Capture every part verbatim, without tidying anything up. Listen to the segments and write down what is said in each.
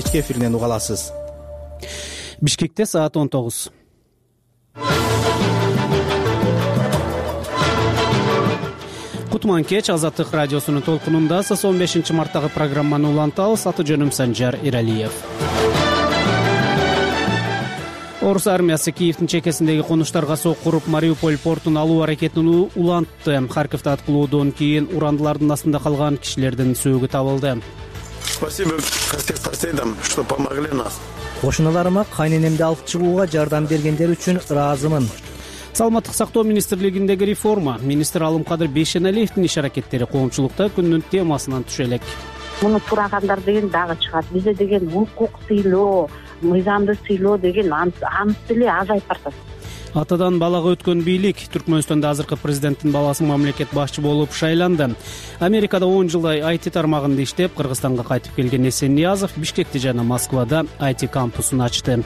кечки эфиринен уга аласыз. Бишкекте саат он тогуз. Кутман кеч. Азаттык радиосунун толкунунда сиз он бешинчи марттагы программаны улантабыз. Аты жөнүм Санжар Иралиев. Орус армиясы Киевдин чекесиндеги конуштарга соккуруп Мариуполь портун алуу аракетин улантты. Харьковдо аткылоодон кийин урандылардын астында калган кишилердин сөөгү табылды. Спасибо всем соседям, что помогли нас. Кошуналарыма кайненемди алып чыгууга жардам бергендер үчүн ыраазымын. Саламаттык сактоо министрлигиндеги реформа. Министр Алымкадыр Бейшеналиевдин иш аракеттери коомчулукта күндүн темасынан түшө элек. Муну сурагандар деген дагы чыгат. Бизде деген укук сыйлоо, мыйзамды сыйлоо деген аныс деле азайып баратат. Атадан балага өткөн бийлик. Түркмөнстөндө азыркы президенттин баласы мамлекет башчы болуп шайланды. Америкада он жылдай ай ти тармагында иштеп, Кыргызстанга кайтып келген Эсен Ниязов Бишкекте жана Москвада ай ти кампусун ачты.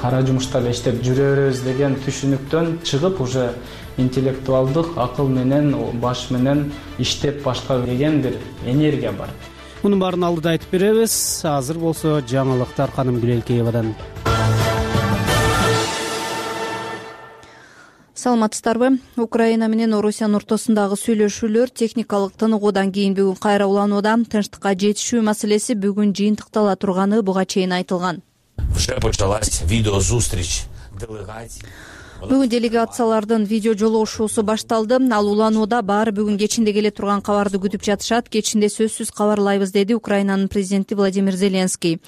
Кара жумушта эле иштеп жүрөбүз деген түшүнүктөн чыгып, уже интеллектуалдык акыл менен, баш менен иштеп башкаруу деген бир энергия бар. Мунун баарын алдыда айтып беребиз. Азыр болсо жаңылыктар Каным Гүлелкеевадан. Саламатсыздарбы? Украина менен Орусиянын ортосундагы сүйлөшүүлөр техникалык тыныгуудан кийин бүгүн кайра уланууда. Тынчтыкка жетишүү маселеси бүгүн жыйынтыктала турганы буга чейин айтылган. Бүгүн делегациялардын видео жолугушуусу башталды. Ал уланууда баары бүгүн кечинде келе турган кабарды күтүп жатышат. Кечинде сөзсүз кабарлайбыз, деди Украинанын президенти Владимир Зеленский.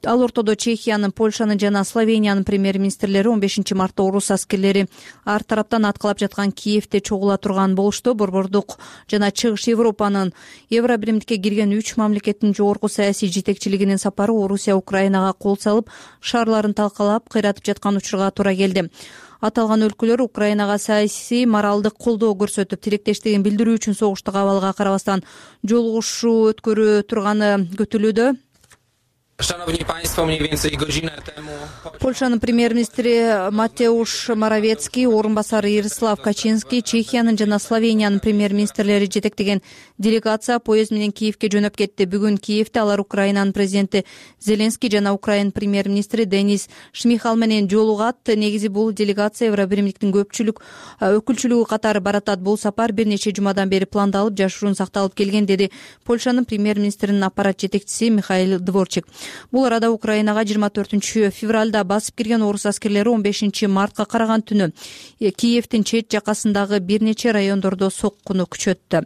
Ал ортодо Чехиянын, Польшанын жана Словениянын премьер-министрлери он бешинчи мартта орус аскерлери ар тараптан аткылап жаткан Киевде чогула турган болушту. Борбордук жана Чыгыш Европанын Евробиримдикке кирген үч мамлекеттин жогорку саясий жетекчилигинин сапары Орусия Украинага кол салып, шаарларын талкалап, кыйратып жаткан учурга туура келди. Аталган өлкөлөр Украинага саясий, моралдык колдоо көрсөтүп, тилектештигин билдирүү үчүн согуштук абалга карабастан жолугушуу өткөрө турганы көтүлүүдө. Польшанын премьер-министри Матеуш Моровецкий, орун басары Ярислав Качинский, Чехиянын жана Словениянын премьер-министрлери жетектеген делегация поезд менен Киевге жөнөп кетти. Бүгүн Киевде алар Украинанын президенти Зеленский жана Украин премьер-министри Денис Шмихал менен жолугат. Негизи бул делегация Евробиримдиктин көпчүлүк өкүлчүлүгү катары баратат. Бул сапар бир нече жумадан бери пландалып, жашыруун сакталып келген, деди Польшанын премьер-министринин аппарат жетекчиси Михаил Дворчик. Бул арада Украинага жыйырма төртүнчү февралда басып кирген орус аскерлери он бешинчи мартка караган түнү Киевдин чет жакасындагы бир нече райондордо соккуну күчөттү.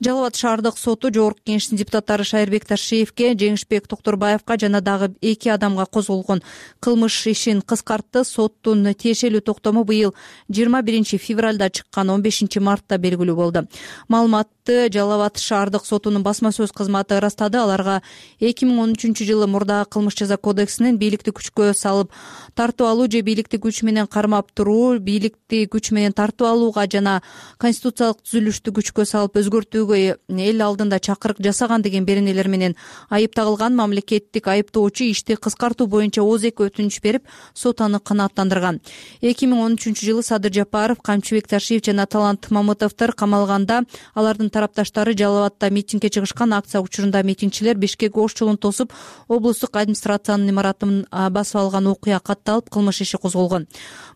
Жалал Абад шаардык соту жогорку кеңештин депутаттары Шайырбек Ташиевке, Жеңишбек Токторбаевка жана дагы эки адамга козголгон кылмыш ишин кыскартты. Соттун тиешелүү токтому быйыл жыйырма биринчи февралда чыккан, он бешинчи мартта белгилүү болду. Маалыматты Жалал Абад шаардык сотунун басма сөз кызматы ырастады. Аларга эки миң он үчүнчү жылы мурдагы кылмыш жаза кодексинин бийликти күчкө салып тартып алуу же бийликти күч менен кармап туруу, бийликти күч менен тартып алууга жана конституциялык түзүлүштү күчкө салып өзгөртүүгө эл алдында чакырык жасаган деген беренелер менен айып тагылган. Мамлекеттик айыптоочу ишти кыскартуу боюнча озек өтүнүч берип, сот аны канааттандырган. эки миң он үчүнчү жылы Садыр Жапаров, Камчыбек Ташиев жана Талант Мамытовдор камалганда. Алардын тарапташтары Жалал Абадта митингге чыгышкан. Акция учурунда митингчилер Бишкек ош жолун тосуп, облустук администрациянын имаратын басып алган окуя катталып, кылмыш иши козголгон.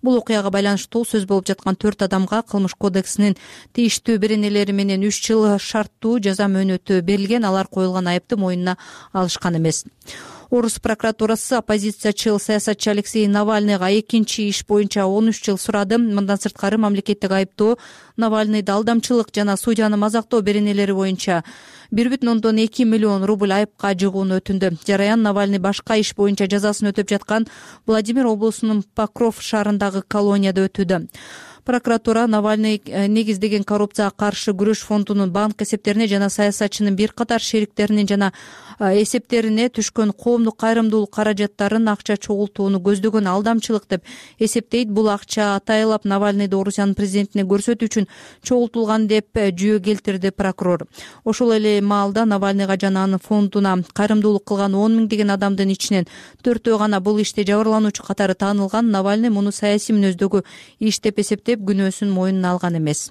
Бул окуяга байланыштуу сөз болуп жаткан төрт адамга кылмыш кодексинин тийиштүү беренелери менен үч жыл шарттуу жаза мөөнөтү берилген. Алар коюлган айыпты мойнуна алышкан эмес. Орус прокуратурасы оппозициячыл саясатчы Алексей Навальныйга экинчи иш боюнча он үч жыл сурады. Мындан сырткары мамлекеттик айыптоо Навальныйды алдамчылык жана судьяны мазактоо беренелери боюнча бир бүтүн ондон эки миллион рубль айыпка жыгууну өтүндү. Жараян Навальный башка иш боюнча жазасын өтөп жаткан Владимир облусунун Покров шаарындагы колонияда өтүүдө. Прокуратура Навальный негиздеген коррупцияга каршы күрөш фондунун банк эсептерине жана саясатчынын бир катар шериктеринин жана эсептерине түшкөн коомдук кайрымдуулук каражаттарын акча чогултууну көздөгөн алдамчылык деп эсептейт. Бул акча атайлап Навальныйды Орусиянын президентине көрсөтүү үчүн чогултулган деп жүйө келтирди прокурор. Ошол эле маалда Навальныйга жана анын фондуна кайрымдуулук кылган он миңдеген адамдын ичинен төртөө гана бул иште жабырлануучу катары таанылган. Навальный муну саясий мүнөздөгү иш деп эсептеп күнөөсүн мойнуна алган эмес.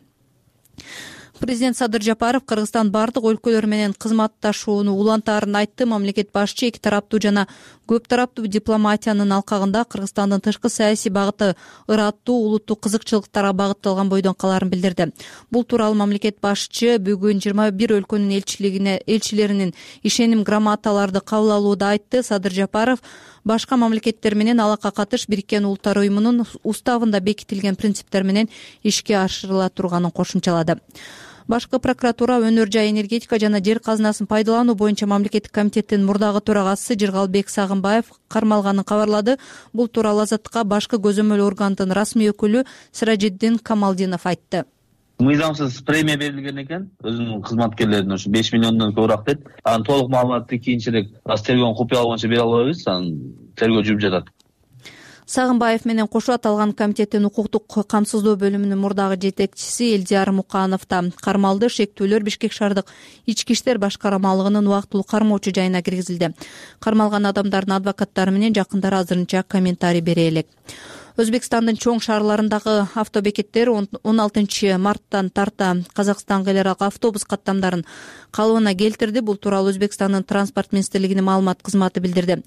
Президент Садыр Жапаров Кыргызстан бардык өлкөлөр менен кызматташууну улантаарын айтты. Мамлекет башчы эки тараптуу жана көп тараптуу дипломатиянын алкагында Кыргызстандын тышкы саясий багыты ыраттуу, улуттуу кызыкчылыктарга багытталган бойдон калаарын билдирди. Бул тууралуу мамлекет башчы бүгүн жыйырма бир өлкөнүн элчилигине элчилеринин ишеним грамоталарды кабыл алууда айтты. Садыр Жапаров башка мамлекеттер менен алака катыш Бириккен Улуттар уюмунун уставында бекитилген принциптер менен ишке ашырыла турганын кошумчалады. Башкы прокуратура өнөр жай энергетика жана жер казынасын пайдалануу боюнча мамлекеттик комитеттин мурдагы төрагасы Жыргалбек Сагынбаев кармалганын кабарлады. Бул тууралуу Азаттыкка башкы көзөмөл органдын расмий өкүлү Сиражиддин Камалдинов айтты. Мыйзамсыз премия берилген экен өзүнүн кызматкерлерине, ошо беш миллиондон көбүрөөк дейт. Анын толук маалыматты кийинчерээк тергөөнүн купуялыгы боюнча бере албайбыз, анын тергөө жүрүп жатат. Сагынбаев менен кошо аталган комитеттин укуктук камсыздоо бөлүмүнүн мурдагы жетекчиси Элдияр Муканов да кармалды. Шектүүлөр Бишкек шаардык ички иштер башкармалыгынын убактылуу кармоочу жайына киргизилди. Кармалган адамдардын адвокаттары менен жакындары азырынча комментарий бере элек. Өзбекстандын чоң шаарларындагы автобекеттер он алтынчы марттан тарта Казакстанга эл аралык автобус каттамдарын калыбына келтирди. Бул тууралуу Өзбекстандын транспорт министрлигинин маалымат кызматы билдирди.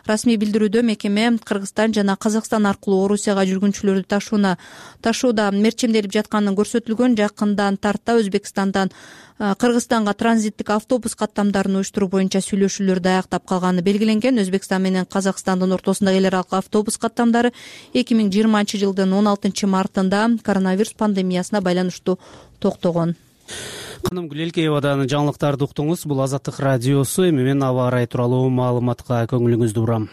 Расмий билдирүүдө мекеме Кыргызстан жана Казакстан аркылуу Орусияга жүргүнчүлөрдү ташууна ташууда мерчемделип жатканын көрсөтүлгөн. Жакындан тарта Өзбекстандан Кыргызстанга транзиттик автобус каттамдарын уюштуруу боюнча сүйлөшүүлөрдү аяктап калганы белгиленген. Өзбекстан менен Казакстандын ортосундагы эл аралык автобус каттамдары эки миң жыйырманчы жылдын он алтынчы мартында коронавирус пандемиясына байланыштуу токтогон. Каным Гүлелкеевадан жаңылыктарды уктуңуз. Бул Азаттык радиосу. Эми мен аба ырайы тууралуу маалыматка көңүлүңүздү бурам.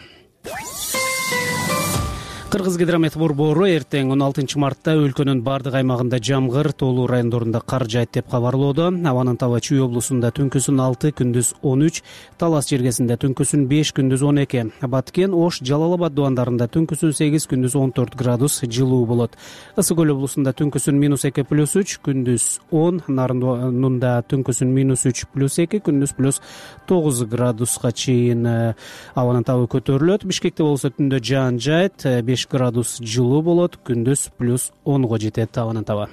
Кыргызгидромет борбору эртең он алтынчы мартта өлкөнүн бардык аймагында жамгыр, тоолуу райондорунда кар жаайт деп кабарлоодо. Абанын таба Чүй облусунда түнкүсүн алты, күндүз он үч, Талас жергесинде түнкүсүн беш, күндүз он эки, Баткен, Ош, Жалал Абад дубандарында түнкүсүн сегиз, күндүз он төрт градус жылуу болот. Ысык көл облусунда түнкүсүн минус эки плюс үч, күндүз он, Нарындында түнкүсүн минус үч плюс эки, күндүз плюс тогуз градуска чейин абанын табы көтөрүлөт. Бишкекте болсо түндө жаан жаайт, беш градус жылуу болот, күндүз плюс онго жетет абанын таба.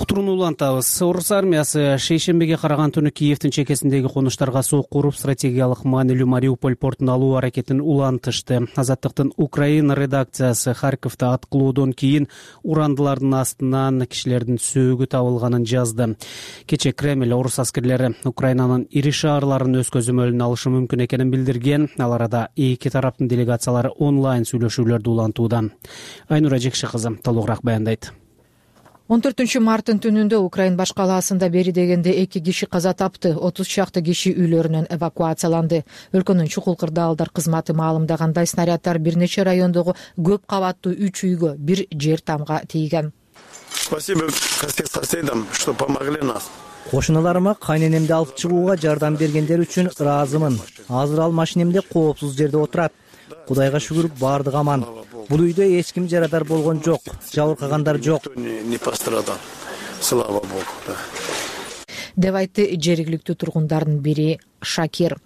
Утурууну улантабыз. Орус армиясы шейшембиге караган түнү Киевдин чекесиндеги конуштарга сок куруп, стратегиялык маанилүү Мариуполь портун алуу аракетин улантышты. Азаттыктын Украина редакциясы Харьковдо аткылоодон кийин урандылардын астынан кишилердин сөөгү табылганын жазды. Кечээ Кремль орус аскерлери Украинанын ири шаарларын өз көзөмөлүнө алышы мүмкүн экенин билдирген. Ал арада эки тараптын делегациялары онлайн сүйлөшүүлөрдү улантууда. Айнура Жекши кызы толугураак баяндайт. он төртүнчү марттын түнүндө Украин баш калаасында бери дегенде эки киши каза тапты, отуз чакты киши үйлөрүнөн эвакуацияланды. Өлкөнүн чукул кырдаалдар кызматы маалымдагандай, снаряддар бир нече райондогу көп кабаттуу үч үйгө, бир жер тамга тийген. Спасибо соседям, что помогли нас. Кошуналарыма кайненемди алып чыгууга жардам бергендер үчүн ыраазымын. Азыр ал машинемде коопсуз жерде отурат. Кудайга шүгүр, бардыгы аман. Бул үйдө эч ким жарадар болгон жок, жабыркагандар жок. Не пострадал. Слава Богу. Деп айтты жергиликтүү тургундардын бири Шакир.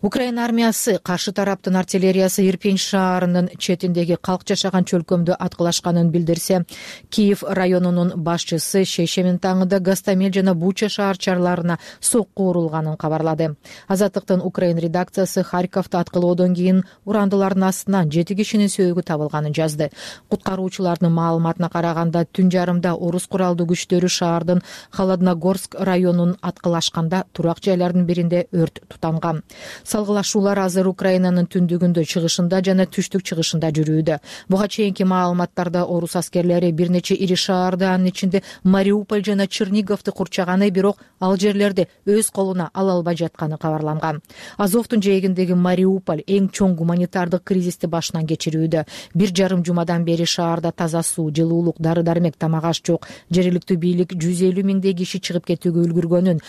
Украина армиясы каршы тараптын артиллериясы Ирпень шаарынын четиндеги калк жашаган чөлкөмдү аткылашканын билдирсе, Киев районунун башчысы шейшемин таңында Гастамель жана Буча шаарчаларына сокку урулганын кабарлады. Азаттыктын Украин редакциясы Харьковдо аткылоодон кийин урандылардын астынан жети кишинин сөөгү табылганын жазды. Куткаруучулардын маалыматына караганда, түн жарымда орус куралдуу күчтөрү шаардын Холодногорск районун аткылашканда турак жайлардын биринде өрт тутанган. Салгылашуулар азыр Украинанын түндүгүндө, чыгышында жана түштүк чыгышында жүрүүдө. Буга чейинки маалыматтарда орус аскерлери бир нече ири шаарды, анын ичинде Мариуполь жана Черниговду курчаганы, бирок ал жерлерди өз колуна ала албай жатканы кабарланган. Азовдун жээгиндеги Мариуполь эң чоң гуманитардык кризисти башынан кечирүүдө. Бир жарым жумадан бери шаарда таза суу, жылуулук, дары-дармек, тамак аш жок. Жергиликтүү бийлик жүз элүү миңдей киши чыгып кетүүгө үлгүргөнүн,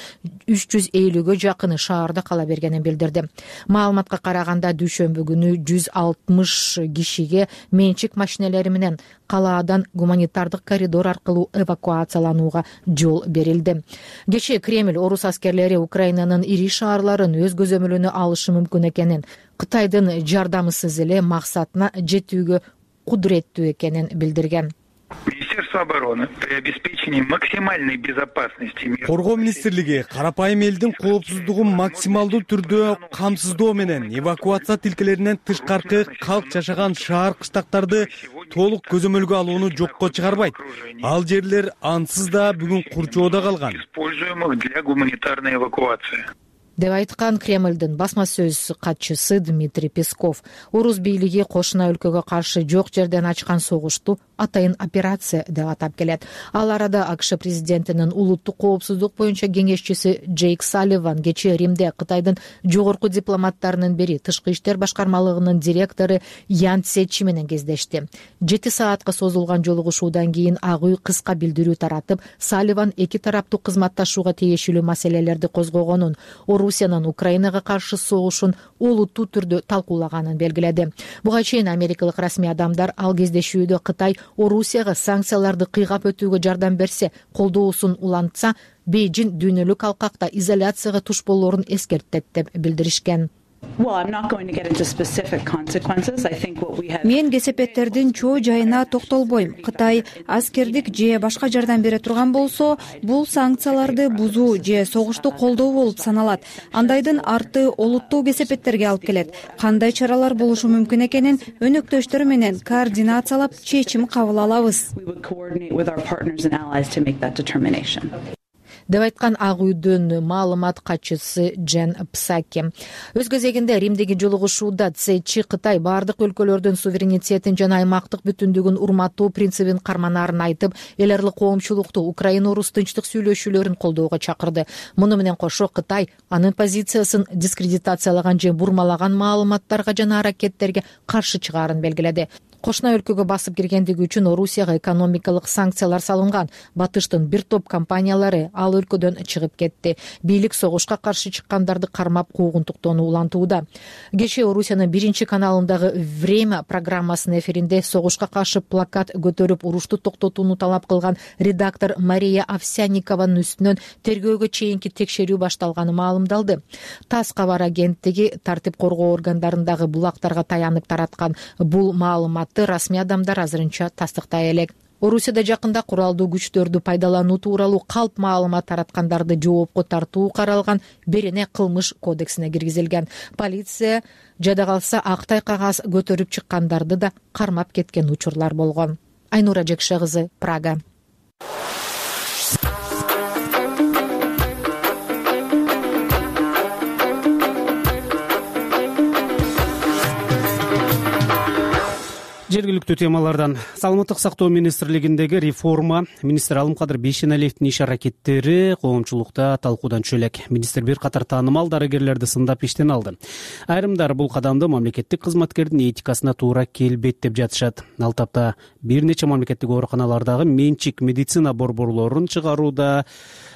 үч жүз элүүгө жакыны шаарда кала бергенин билдирди. Маалыматка караганда, дүйшөмбү күнү жүз алтымыш кишиге менчик машинелери менен калаадан гуманитардык коридор аркылуу эвакуацияланууга жол берилди. Кечээ Кремль орус аскерлери Украинанын ири шаарларын өз көзөмөлүнө алышы мүмкүн экенин, Кытайдын жардамысыз эле максатына жетүүгө кудуреттүү экенин билдирген. Министерство обороны при обеспечении максимальной безопасности Коргоо министрлиги карапайым элдин коопсуздугун максималдуу түрдө камсыздоо менен эвакуация тилкелеринен тышкаркы калк жашаган шаар кыштактарды толук көзөмөлгө алууну жокко чыгарбайт. Ал жерлер ансыз да бүгүн курчоодо калган. Используемых для гуманитарной эвакуации. деп айткан Кремлдин басма сөз катчысы Дмитрий Песков. Орус бийлиги кошуна өлкөгө каршы жок жерден ачкан согушту атайын операция деп атап келет. Ал арада АКШ президентинин улуттук коопсуздук боюнча кеңешчиси Джейк Салливан кечээ Римде Кытайдын жогорку дипломаттарынын бири тышкы иштер башкармалыгынын директору Ян Цечи менен кездешти. Жети саатка созулган жолугушуудан кийин Ак үй кыска билдирүү таратып, Салливан эки тараптуу кызматташууга тиешелүү маселелерди козгогонун, Орусиянын Украинага каршы согушун олуттуу түрдө талкуулаганын белгиледи. Буга чейин америкалык расмий адамдар ал кездешүүдө Кытай Орусияга санкцияларды кыйгап өтүүгө жардам берсе, колдоосун улантса, Бейжин дүйнөлүк алкакта изоляцияга туш болоорун эскертет деп билдиришкен. Мен кесепеттердин чоо жайына токтолбойм. Кытай аскердик же башка жардам бере турган болсо, бул санкцияларды бузуу же согушту колдоо болуп саналат. Андайдын арты олуттуу кесепеттерге алып келет. Кандай чаралар болушу мүмкүн экенин өнөктөштөр менен координациялап чечим кабыл алабыз. деп айткан Ак үйдүн маалымат катчысы Джен Псаки. Өз кезегинде Римдеги жолугушууда Цечи Кытай бардык өлкөлөрдүн суверенитетин жана аймактык бүтүндүгүн урматтоо принцибин карманаарын айтып, эл аралык коомчулукту Украина-Орус тынчтык сүйлөшүүлөрүн колдоого чакырды. Муну менен кошо Кытай анын позициясын дискредитациялаган же бурмалаган маалыматтарга жана аракеттерге каршы чыгаарын белгиледи. Кошуна өлкөгө басып киргендиги үчүн Орусияга экономикалык санкциялар салынган. Батыштын бир топ компаниялары ал өлкөдөн чыгып кетти. Бийлик согушка каршы чыккандарды кармап куугунтуктоону улантууда. Кечээ Орусиянын биринчи каналындагы «Время» программасынын эфиринде согушка каршы плакат көтөрүп урушту токтотууну талап кылган редактор Мария Овсянникованын үстүнөн тергөөгө чейинки текшерүү башталганы маалымдалды. ТАСС кабар агенттиги тартип коргоо органдарындагы булактарга таянып тараткан бул маалымат расмий адамдар азырынча тастыктай элек. Орусияда жакында куралдуу күчтөрдү пайдалануу тууралуу калп маалымат тараткандарды жоопко тартуу каралган Берене кылмыш кодексине киргизилген. Полиция жада калса актай кагаз көтөрүп чыккандарды да кармап кеткен учурлар болгон. Айнура Жекше кызы, Прага. Жергиликтүү темалардан Саламаттык сактоо министрлигиндеги реформа министр Алымкадыр Бейшеналиевдин иш аракеттери коомчулукта талкуудан түшө элек. Министр бир катар таанымал дарыгерлерди сындап иштен алды. Айрымдар бул кадамды мамлекеттик кызматкердин этикасына туура келбейт деп жатышат. Ал тапта бир нече мамлекеттик ооруканалардагы менчик медицина борборлорун чыгарууда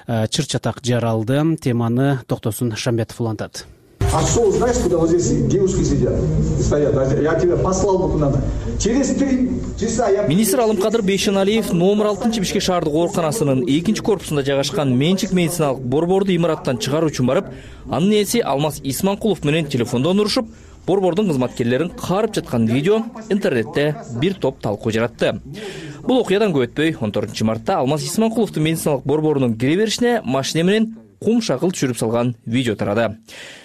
чыр-чатак жаралды. Теманы Токтосун Шамбетов улантат. А что, знаешь, куда вот здесь девушки сидят? Стоят. Я тебя послал бы куда-то. Через три часа я... Министр Алымкадыр Бейшеналиев номер алтынчы Бишкек шаардык ооруканасынын экинчи корпусунда жайгашкан менчик медициналык борборду имараттан чыгаруу үчүн барып, анын ээси Алмаз Исманкулов менен телефондон урушуп, борбордун кызматкерлерин каарып жаткан видео интернетте бир топ талкуу жаратты. Бул окуядан көп өтпөй он төртүнчү мартта Алмаз Исманкуловдун медициналык борборунун кире беришине машина менен кум шакыл түшүрүп салган видео тарады.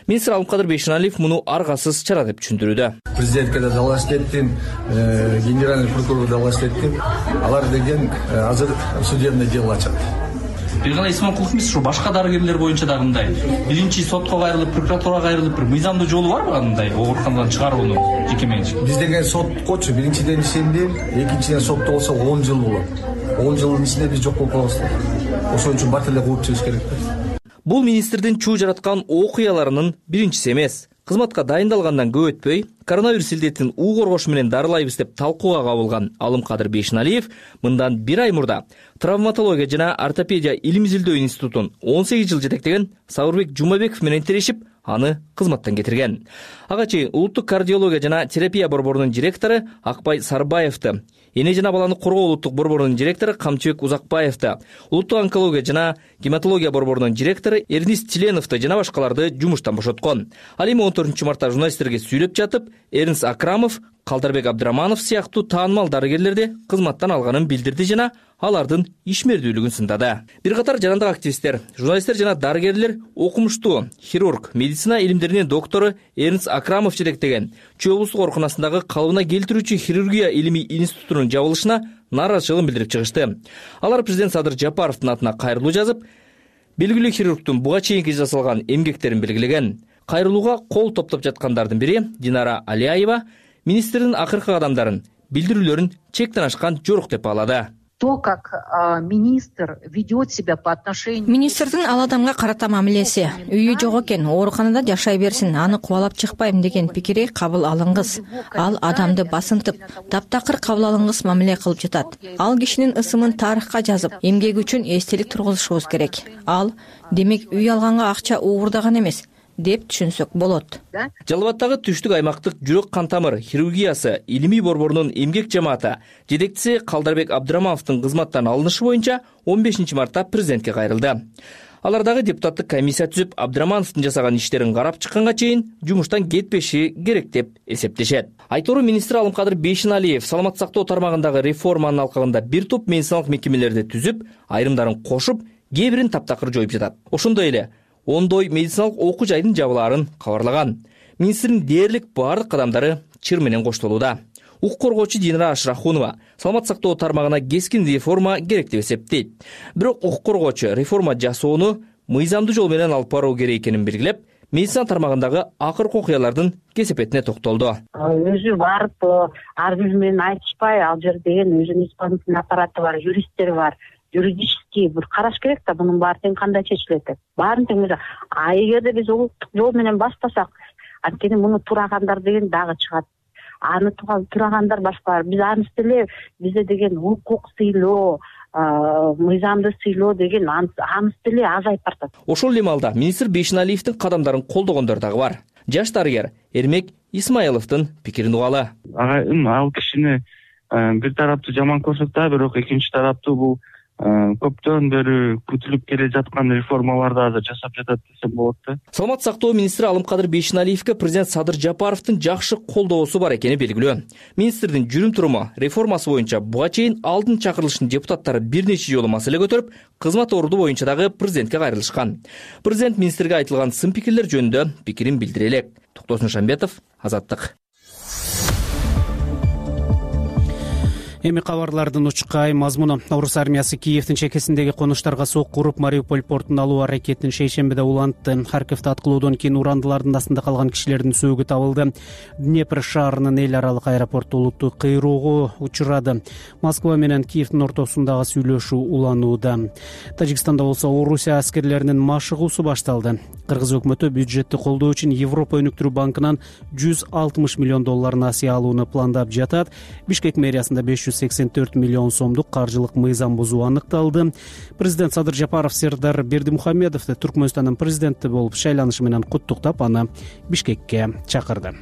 Министр Алымкадыр Бейшеналиев муну аргасыз чара деп түшүндүрүүдө. Президентке да далаш еттим, генеральный прокурор далаш еттим. Алар деген азыр судебное дело ачат. Бир гана Исманкулов эмес, ушу башка дарыгерлер боюнча да мындай биринчи сотко кайрылып, прокуратурага кайрылып бир мыйзамдуу жолу барбы андай ооруканадан чыгаруунун жеке менчик? Биз деген соткочу биринчиден ишендим, экинчиден сотто болсо он жыл болот. он жылдын ичинде биз жок болуп калабыз. Ошон үчүн бат эле кууп чыгыш керек. Бул министрдин чуу жараткан окуяларынын биринчиси эмес. Кызматка дайындалгандан көп өтпөй, коронавирус илдетин уу коргош менен дарылайбыз деп талкууга кабылган Алымкадыр Бейшеналиев мындан бир ай мурда травматология жана ортопедия илим изилдөө институтун он сегиз жыл жетектеген Сабырбек Жумабеков менен тирешип, аны кызматтан кетирген. Ага чейин улуттук кардиология жана терапия борборунун директору Акбай Сарбаевди, эне жана баланы коргоо улуттук борборунун директору Камчыбек Узакбаевди, улуттук онкология жана гематология борборунун директору Эрнист Тиленовди жана башкаларды жумуштан бошоткон. Ал эми он төртүнчү мартта журналисттерге сүйлөп жатып, Эрнст Акрамов Калдарбек Абдыраманов сыяктуу таанымал дарыгерлерди кызматтан алганын билдирди жана алардын ишмердүүлүгүн сындады. Бир катар жарандык активисттер, журналисттер жана дарыгерлер окумуштуу хирург, медицина илимдеринин доктору Эрнст Акрамов жетектеген Чүй облустук ооруканасындагы калыбына келтирүүчү хирургия илимий институтунун жабылышына нааразычылыгын билдирип чыгышты. Алар президент Садыр Жапаровдун атына кайрылуу жазып, белгилүү хирургдун буга чейинки жасалган эмгектерин белгилеген. Кайрылууга кол топтоп жаткандардын бири Динара Алиаева министрдин акыркы кадамдарын, билдирүүлөрүн чектен ашкан жорук деп баалады. То, как министр ведет себя по отношению... Министрдин ал адамга карата мамилеси, үйү жок экен, ооруканада жашай берсин, аны кубалап чыкпайм деген пикири кабыл алынгыс. Ал адамды басынтып, таптакыр кабыл алынгыс мамиле кылып жатат. Ал кишинин ысымын тарыхка жазып, эмгеги үчүн эстелик тургузушубуз керек. Ал, демек, үй алганга акча уурдаган эмес деп түшүнсөк болот. Жалал Абадтагы түштүк аймактык жүрөк кан тамыр хирургиясы илимий борборунун эмгек жамааты жетекчиси Калдарбек Абдырамановдун кызматтан алынышы боюнча он бешинчи мартта президентке кайрылды. Алар дагы депутаттык комиссия түзүп, Абдырамановдун жасаган иштерин карап чыкканга чейин жумуштан кетпеши керек деп эсептешет. Айтору министр Алымкадыр Бейшеналиев саламаттык сактоо тармагындагы реформанын алкагында бир топ медициналык мекемелерди түзүп, айрымдарын кошуп, кээ бирин таптакыр жоюп жатат. Ошондой эле ондой медициналык окуу жайдын жабылаарын кабарлаган. Министрдин дээрлик бардык кадамдары чыр менен коштолууда. Укук коргоочу Динара Ашрахунова саламаттык сактоо тармагына кескин реформа керек деп эсептейт. Бирок укук коргоочу реформа жасоону мыйзамдуу жол менен алып баруу керек экенин белгилеп, медицина тармагындагы акыркы окуялардын кесепетине токтолду. Өзү барып ар бири менен айтышпай, ал жерде деген өзүнүн исполнительный аппараты бар, юристтери бар. Юридический бир караш керек да, мунун баары тең кандай чечилет деп. Баарын тең эле. А эгерде биз улуттук жол менен баштасак, анткени муну турагандар деген дагы чыгат. Аны турагандар башка. Биз аны деле бизде деген укук сыйлоо, мыйзамды сыйлоо деген анысы деле азайып баратат. Ошол эле маалда министр Бейшеналиевдин кадамдарын колдогондор дагы бар. Жаш дарыгер Эрмек Исмаиловдун пикирин угалы. Ага, ал кишини бир тараптуу жаман көрсөтөт, бирок экинчи тараптуу бул көптөн бери күтүлүп келе жаткан реформаларды азыр жасап жатат десем болот да. Саламаттык сактоо министри Алымкадыр Бейшеналиевге президент Садыр Жапаровдун жакшы колдоосу бар экени белгилүү. Министрдин жүрүм туруму реформасы боюнча буга чейин алдын чакырылыштын депутаттары бир нече жолу маселе көтөрүп, кызмат орду боюнча дагы президентке кайрылышкан. Президент министрге айтылган сын пикирлер жөнүндө пикирин билдире элек. Токтосун Шамбетов, Азаттык. Эми кабарлардын учкай мазмуну. Орус армиясы Киевдин чекесиндеги конуштарга сокку уруп, Мариуполь портун алуу аракетин шейшембиде улантты. Харьковдо аткылоодон кийин урандылардын астында калган кишилердин сөөгү табылды. Днепр шаарынын эл аралык аэропорту олуттуу кыйроого учурады. Москва менен Киевдин ортосундагы сүйлөшүү уланууда. Тажикстанда болсо Орусия аскерлеринин машыгуусу башталды. Кыргыз өкмөтү бюджетти колдоо үчүн Европа өнүктүрүү банкынан жүз алтымыш миллион доллар насыя алууну пландап жатат. Бишкек мэриясында беш жүз сексен төрт миллион сомдук каржылык мыйзам бузуу аныкталды. Президент Садыр Жапаров Сердар Бердимухамедовду Түркмөнстандын президенти болуп шайланышы менен куттуктап, аны Бишкекке чакырды.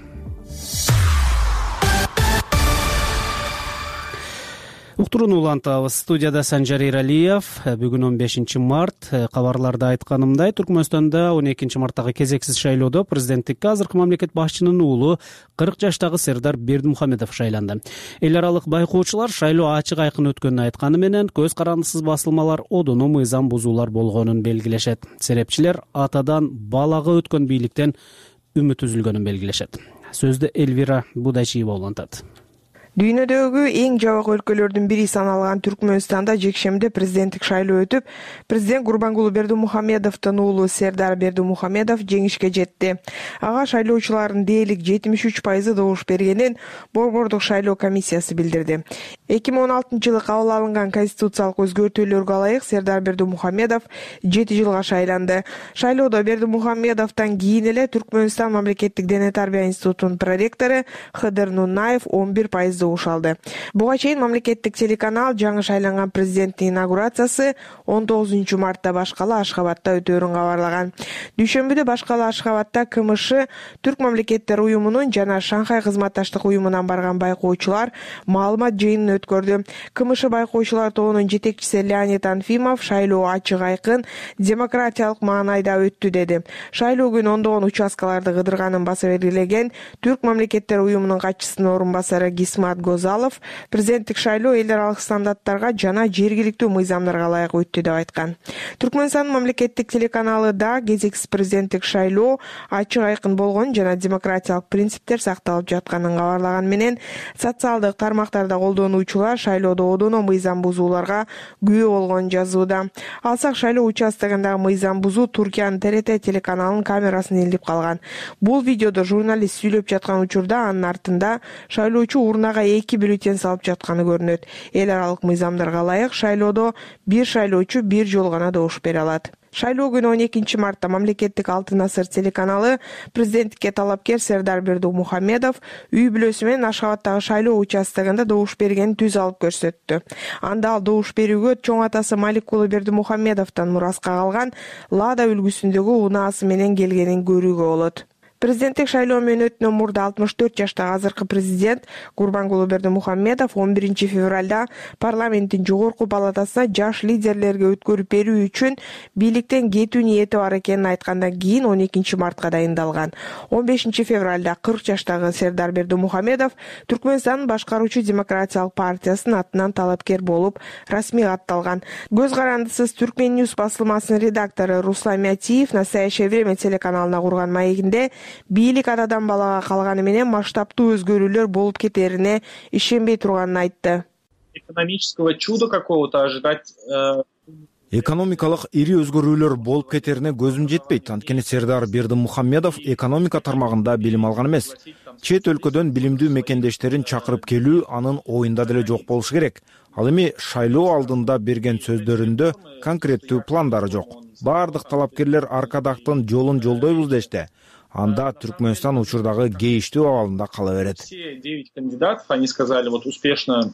Уктурууну улантабыз. Студияда Санжар Эралиев. Бүгүн он бешинчи март. Кабарларда айтканымдай, Түркмөнстанда он экинчи марттагы кезексиз шайлоодо президенттикке азыркы мамлекет башчынын уулу кырк жаштагы Сердар Бердимухамедов шайланды. Эл аралык байкоочулар шайлоо ачык айкын өткөнүн айтканы менен, көз карандысыз басылмалар, одону мыйзам бузуулар болгонун белгилешет. Серепчилер атадан балага өткөн бийликтен үмүт үзүлгөнүн белгилешет. Сөздү Элвира Будачиева улантат. Дүйнөдөгү эң жабык өлкөлөрдүн бири саналган Түркмөнстанда жекшембиде президенттик шайлоо өтүп, президент Гурбангулы Бердимухамедовдун уулу Сердар Бердимухамедов жеңишке жетти. Ага шайлоочулардын дээрлик жетимиш үч пайызы добуш бергенин борбордук шайлоо комиссиясы билдирди. эки миң он алтынчы жылы кабыл алынган конституциялык өзгөртүүлөргө ылайык Сердар Бердимухамедов жети жылга шайланды. Шайлоодо Бердимухамедовдон кийин эле Түркмөнстан мамлекеттик дене тарбия институтунун проректору Хыдыр Нунаев он бир пайыз жазуу алды. Буга чейин мамлекеттик телеканал жаңы шайланган президенттин инаугурациясы он тогузунчу мартта Башкала Ашхабадда өтөөрүн кабарлаган. Дүйшөмбүдө Башкала Ашхабадда КМШ, Түрк мамлекеттер уюмунун жана Шанхай кызматташтык уюмунан барган байкоочулар маалымат жыйынын өткөрдү. КМШ байкоочулар тобунун жетекчиси Леонид Анфимов шайлоо ачык айкын, демократиялык маанайда өттү деди. Шайлоо күнү ондогон участкаларды кыдырганын баса белгилеген Түрк мамлекеттер уюмунун катчысынын орун басары Гисмат Гозалов президенттик шайлоо эл аралык стандарттарга жана жергиликтүү мыйзамдарга ылайык өттү деп айткан. Түркмөнстандын мамлекеттик телеканалы да кезексиз президенттик шайлоо ачык айкын болгон жана демократиялык принциптер сакталып жатканын кабарлаган менен социалдык тармактарда колдонуучулар шайлоодо одоно мыйзам бузууларга күбө болгонун жазууда. Алсак шайлоо участогундагы мыйзам бузуу Туркиянын Т Р Т телеканалынын камерасына илинип калган. Бул видеодо журналист сүйлөп жаткан учурда анын артында шайлоочу урнага эки бюллетень салып жатканы көрүнөт. Эл аралык мыйзамдарга ылайык шайлоодо бир шайлоочу бир жолу гана добуш бере алат. Шайлоо күнү он экинчи мартта мамлекеттик Алтын Асыр телеканалы президенттикке талапкер Сердар Бердимухамедов үй бүлөсү менен Ашхабаддагы шайлоо участогунда добуш бергенин түз алып көрсөттү. Анда ал добуш берүүгө чоң атасы Малик уулу Бердимухамедовдон мураска калган Лада үлгүсүндөгү унаасы менен келгенин көрүүгө болот. Президенттик шайлоо мөөнөтүнөн мурда алтымыш төрт жаштагы азыркы президент Гурбангулы Бердимухамедов он биринчи февралда парламенттин жогорку палатасына жаш лидерлерге өткөрүп берүү үчүн бийликтен кетүү ниети бар экенин айткандан кийин он экинчи мартка дайындалган. он бешинчи февралда кырк жаштагы Сердар Бердимухамедов Түркмөнстандын башкаруучу демократиялык партиясынын атынан талапкер болуп расмий катталган. Көз карандысыз Түркмен Ньюс басылмасынын редактору Руслан Мятиев Настоящее время телеканалына курган маегинде бийлик атадан балага калганы менен масштабтуу өзгөрүүлөр болуп кетерине ишенбей турганын айтты. Экономического чуда какого-то ожидать. Экономикалык ири өзгөрүүлөр болуп кетерине көзүм жетпейт. Анткени Сердар Бердимухамедов экономика тармагында билим алган эмес. Чет өлкөдөн билимдүү мекендештерин чакырып келүү анын оюнда деле жок болушу керек. Ал эми шайлоо алдында берген сөздөрүндө конкреттүү пландары жок. Бардык талапкерлер Аркадактын жолун жолдойбуз дешти. Анда Түркмөнстан учурдагы кейиштүү абалында кала берет. Все девять кандидатов, они сказали, вот успешно.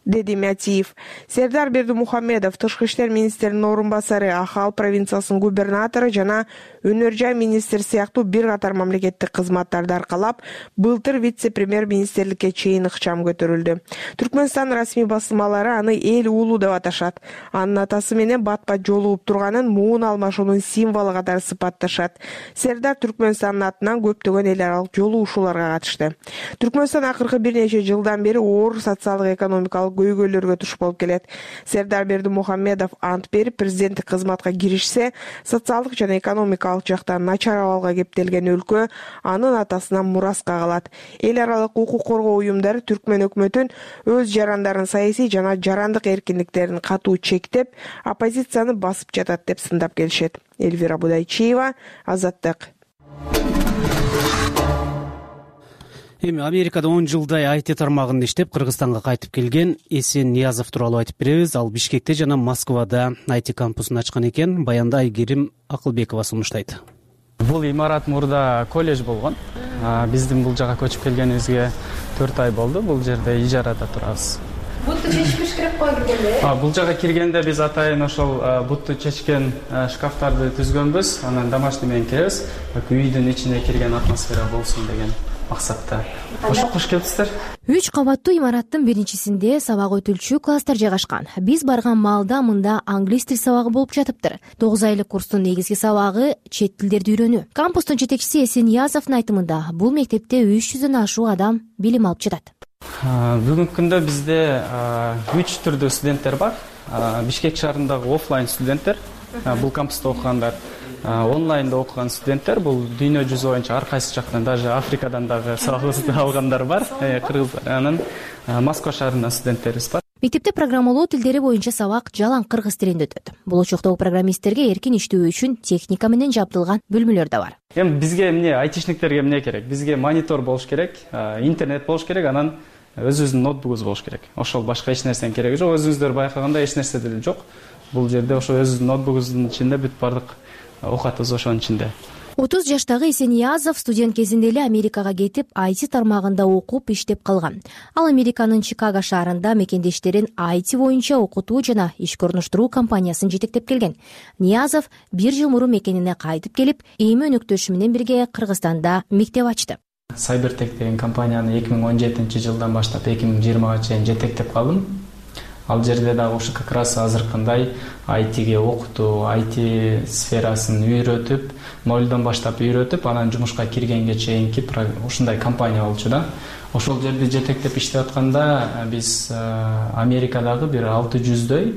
Деди Мятиев. Сердар Бердимухамедов тышкы иштер министринин орун басары, Ахал провинциясынын губернатору жана өнөр жай министр сыяктуу бир катар мамлекеттик кызматтарды аркалап, былтыр вице-премьер-министрликке чейин ыкчам көтөрүлдү. Түркмөнстан расмий басылмалары аны эл уулу деп аташат. Анын атасы менен бат-бат жолугуп турганын муун алмашуунун символу катары сыпатташат. Сердар Түркмөнстандын атынан көптөгөн эл аралык жолугушууларга катышты. Түркмөнстан акыркы бир нече жылдан бери оор социалдык экономикалык көйгөйлөргө туш болуп келет. Сердар Бердимухамедов ант берип президенттик кызматка киришсе, социалдык жана экономикалык жактан начар абалга кептелген өлкө анын атасынан мураска калат. Эл аралык укук коргоо уюмдары Түркмөн өкмөтүн өз жарандарын саясий жана жарандык эркиндиктерин катуу чектеп, оппозицияны басып жатат деп сындап келишет. Эльвира Будайчиева, Азаттык. Эми Америкада он жылдай ай ти тармагында иштеп, Кыргызстанга кайтып келген Эсен Ниязов тууралуу айтып беребиз. Ал Бишкекте жана Москвада ай ти кампусун ачкан экен. Баянда Айгерим Акылбекова сунуштайт. Бул имарат мурда колледж болгон. Биздин бул жака көчүп келгенибизге төрт ай болду. Бул жерде ижарада турабыз. Бутту чечпеш керек го киргенде? Бул жака киргенде биз атайын ошол бутту чечкен шкафтарды түзгөнбүз. Анан домашний менен киребиз. Үйдүн ичине кирген атмосфера болсун деген максатта. Кош келипсиздер. Үч кабаттуу имараттын биринчисинде сабак өтүлчү класстар жайгашкан. Биз барган маалда мында англис тил сабагы болуп жатыптыр. тогуз айлык курстун негизги сабагы чет тилдерди үйрөнүү. Кампустун жетекчиси Эсен Ниязовдун айтымында бул мектепте үч жүздөн ашуун адам билим алып жатат. Бүгүнкү күндө бизде үч түрдүү студенттер бар. Бишкек шаарындагы офлайн студенттер, бул кампуста окугандар. Онлайнда окуган студенттер, бул дүйнө жүзү боюнча ар кайсы жактан, даже Африкадан дагы сабагыбызды алгандар бар, кыргыздар. Анан Москва шаарынын студенттерибиз бар. Мектепте программалоо тилдери боюнча сабак жалаң кыргыз тилинде өтөт. Болочоктогу программисттерге эркин иштөө үчүн техника менен жабдылган бөлмөлөр да бар. Эми бизге эмне айтишниктерге эмне керек? Бизге монитор болуш керек, интернет болуш керек, анан өзүбүздүн ноутбугубуз болуш керек. Ошол башка эч нерсенин кереги жок. Өзүңүздөр байкагандай эч нерсе деле жок. Бул жерде ошо өзүбүздүн ноутбугубуздун ичинде бүт бардык окуатыбыз ошонун ичинде. отуз жаштагы Эсениязов студент кезинде эле Америкага кетип, ай ти тармагында окуп, иштеп калган. Ал Американын Чикаго шаарында мекендештерин ай ти боюнча окутуу жана ишке орноштуруу компаниясын жетектеп келген. Ниязов бир жыл мурун мекенине кайтып келип, эми өнөктөшү менен бирге Кыргызстанда мектеп ачты. Cybertech деген компанияны эки миң он жетинчи жылдан баштап эки миң жыйырмага чейин жетектеп калдым. Ал жерде дагы ушу как раз азыркындай ай тиге окутуу, ай ти сферасын үйрөтүп, нолдон баштап үйрөтүп, анан жумушка киргенге чейинки ушундай компания болчу да. Ошол жерде жетектеп иштеп атканда биз Америкадагы бир алты жүздөй,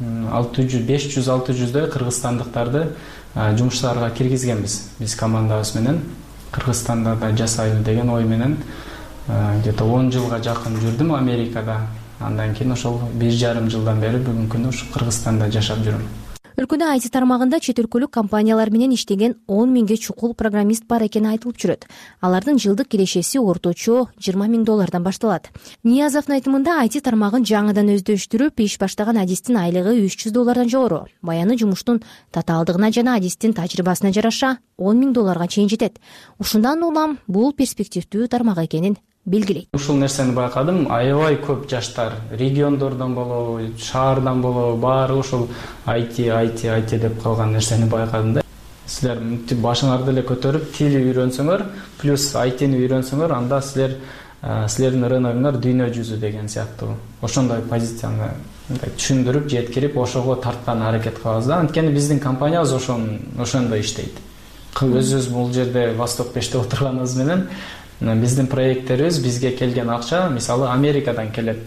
беш жүз алты жүздөй кыргызстандыктарды жумуштарга киргизгенбиз. Биз командабыз менен Кыргызстанда да жасайлы деген ой менен где-то он жылга жакын жүрдүм Америкада. Андан кийин ошол бир жарым жылдан бери бүгүнкү күндө ушу Кыргызстанда жашап жүрөм. Өлкөдө ай ти тармагында чет өлкөлүк компаниялар менен иштеген он миңге чукул программист бар экени айтылып жүрөт. Алардын жылдык кирешеси орточо жыйырма миң доллардан башталат. Ниязовдун айтымында ай ти тармагын жаңыдан өздөштүрүп, иш баштаган адистин айлыгы үч жүз доллардан жогору. Баяны жумуштун татаалдыгына жана адистин тажрыйбасына жараша он миң долларга чейин жетет. Ушундан улам бул перспективдүү тармак экенин белгилейт. Ушул нерсени байкадым, аябай көп жаштар региондордон болобу, шаардан болобу, баары ушул ай ти, ай ти, ай ти деп калган нерсени байкадым да. Силер башыңарды эле көтөрүп, тили үйрөнсөңөр, плюс ай тини үйрөнсөңөр, анда силер силердин рыногуңар дүйнө жүзү деген сыяктуу. Ошондой позицияны түшүндүрүп, жеткирип, ошого тарткан аракет кылабыз да. Анткени биздин компаниябыз ошондой иштейт. Өзүбүз бул жерде Восток беште отурганыбыз менен биздин проекттерибиз, бизге келген акча мисалы Америкадан келет.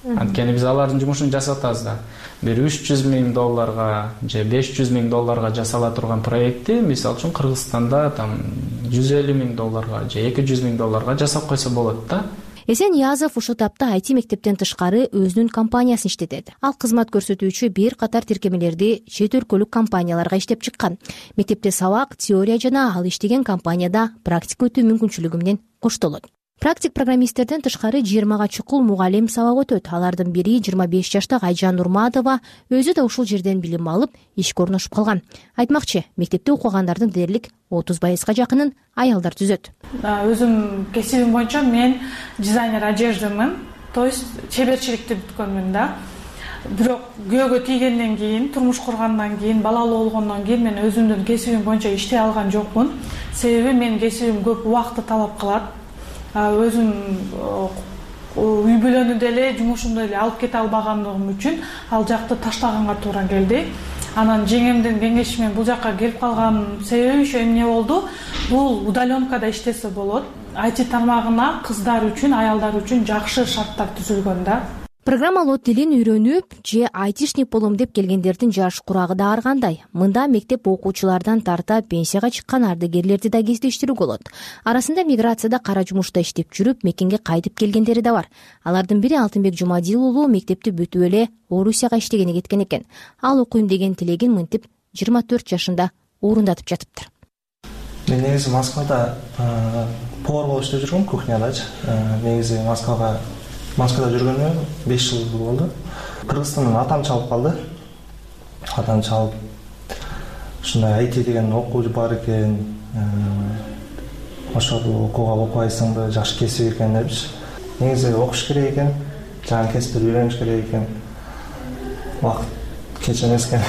Анткени биз алардын жумушун жасап атабыз да. Бир үч жүз миң долларга же беш жүз миң долларга жасала турган проектти мисалы үчүн Кыргызстанда там жүз элүү миң долларга же эки жүз миң долларга жасап койсо болот да. Эсениязов ушул тапта ай ти мектептен тышкары өзүнүн компаниясын иштетет. Ал кызмат көрсөтүүчү бир катар тиркемелерди чет өлкөлүк компанияларга иштеп чыккан. Мектепте сабак, теория жана ал иштеген компанияда практика өтүү мүмкүнчүлүгү менен коштолот. Практик программисттерден тышкары жыйырмага чукул мугалим сабак өтөт. Алардын бири жыйырма беш жаштагы Айжан Нурматова, өзү да ушул жерден билим алып, ишке орношуп калган. Айтмакчы, мектепте окугандардын дээрлик отуз пайызга жакынын аялдар түзөт. Өзүм кесибим боюнча мен дизайнер одеждамын, то есть чеберчиликти бүткөнмүн да. Бирок күйөөгө тийгенден кийин, турмуш кургандан кийин, балалуу болгондон кийин мен өзүмдүн кесибим боюнча иштей алган жокмун. Себеби менин кесибим көп убакытты талап кылат. Өзүм үй бүлөнү деле, жумушумду деле алып кете албагандыгым үчүн ал жакты таштаганга туура келди. Анан жеңемдин кеңеши менен бул жакка келип калган себеби ошо эмне болду? Бул удаленкада иштесе болот. ай ти тармагына кыздар үчүн, аялдар үчүн жакшы шарттар түзүлгөн да. Программалоо тилин үйрөнүп же айтишник болом деп келгендердин жаш курагы да ар кандай. Мында мектеп окуучулардан тарта пенсияга чыккан ардагерлерди да кездештирүүгө болот. Арасында миграцияда кара жумушта иштеп жүрүп, мекенге кайтып келгендери да бар. Алардын бири Алтынбек Жумадил уулу мектепти бүтүп эле Орусияга иштегени кеткен экен. Ал окуйм деген тилегин мынтип жыйырма төрт жашында орундатып жатыптыр. Мен негизи Москвада повар болуп иштеп жүргөм, кухнядачы. Негизи Москвага Москвада жүргөнүмө беш жыл болду. Кыргызстандан атам чалып калды. Атам чалып, ушундай ай ти деген окуу бар экен. Ошол окууга окубайсыңбы, жакшы кесип экен депчи. Негизи окуш керек экен, жаңы кесипти үйрөнүш керек экен. Убакыт кеч эмес экен.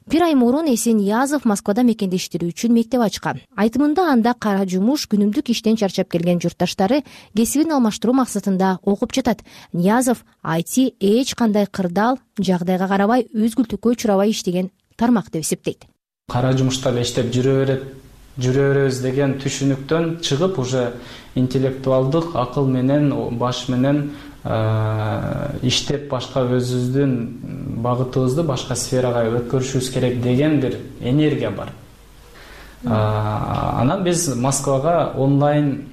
Бир ай мурун Эсениязов Москвада мекендештери үчүн мектеп ачкан. Айтымында анда кара жумуш, күнүмдүк иштен чарчап келген журтташтары кесибин алмаштыруу максатында окуп жатат. Ниязов ай ти эч кандай кырдаал, жагдайга карабай, үзгүлтүккө учурабай иштеген тармак деп эсептейт. Кара жумушта эле иштеп жүрө берет, жүрө беребиз деген түшүнүктөн чыгып, уже интеллектуалдык акыл менен, баш менен иштеп башка өзүбүздүн багытыбызды башка сферага өткөрүшүбүз керек деген бир энергия бар. Анан биз Москвага онлайн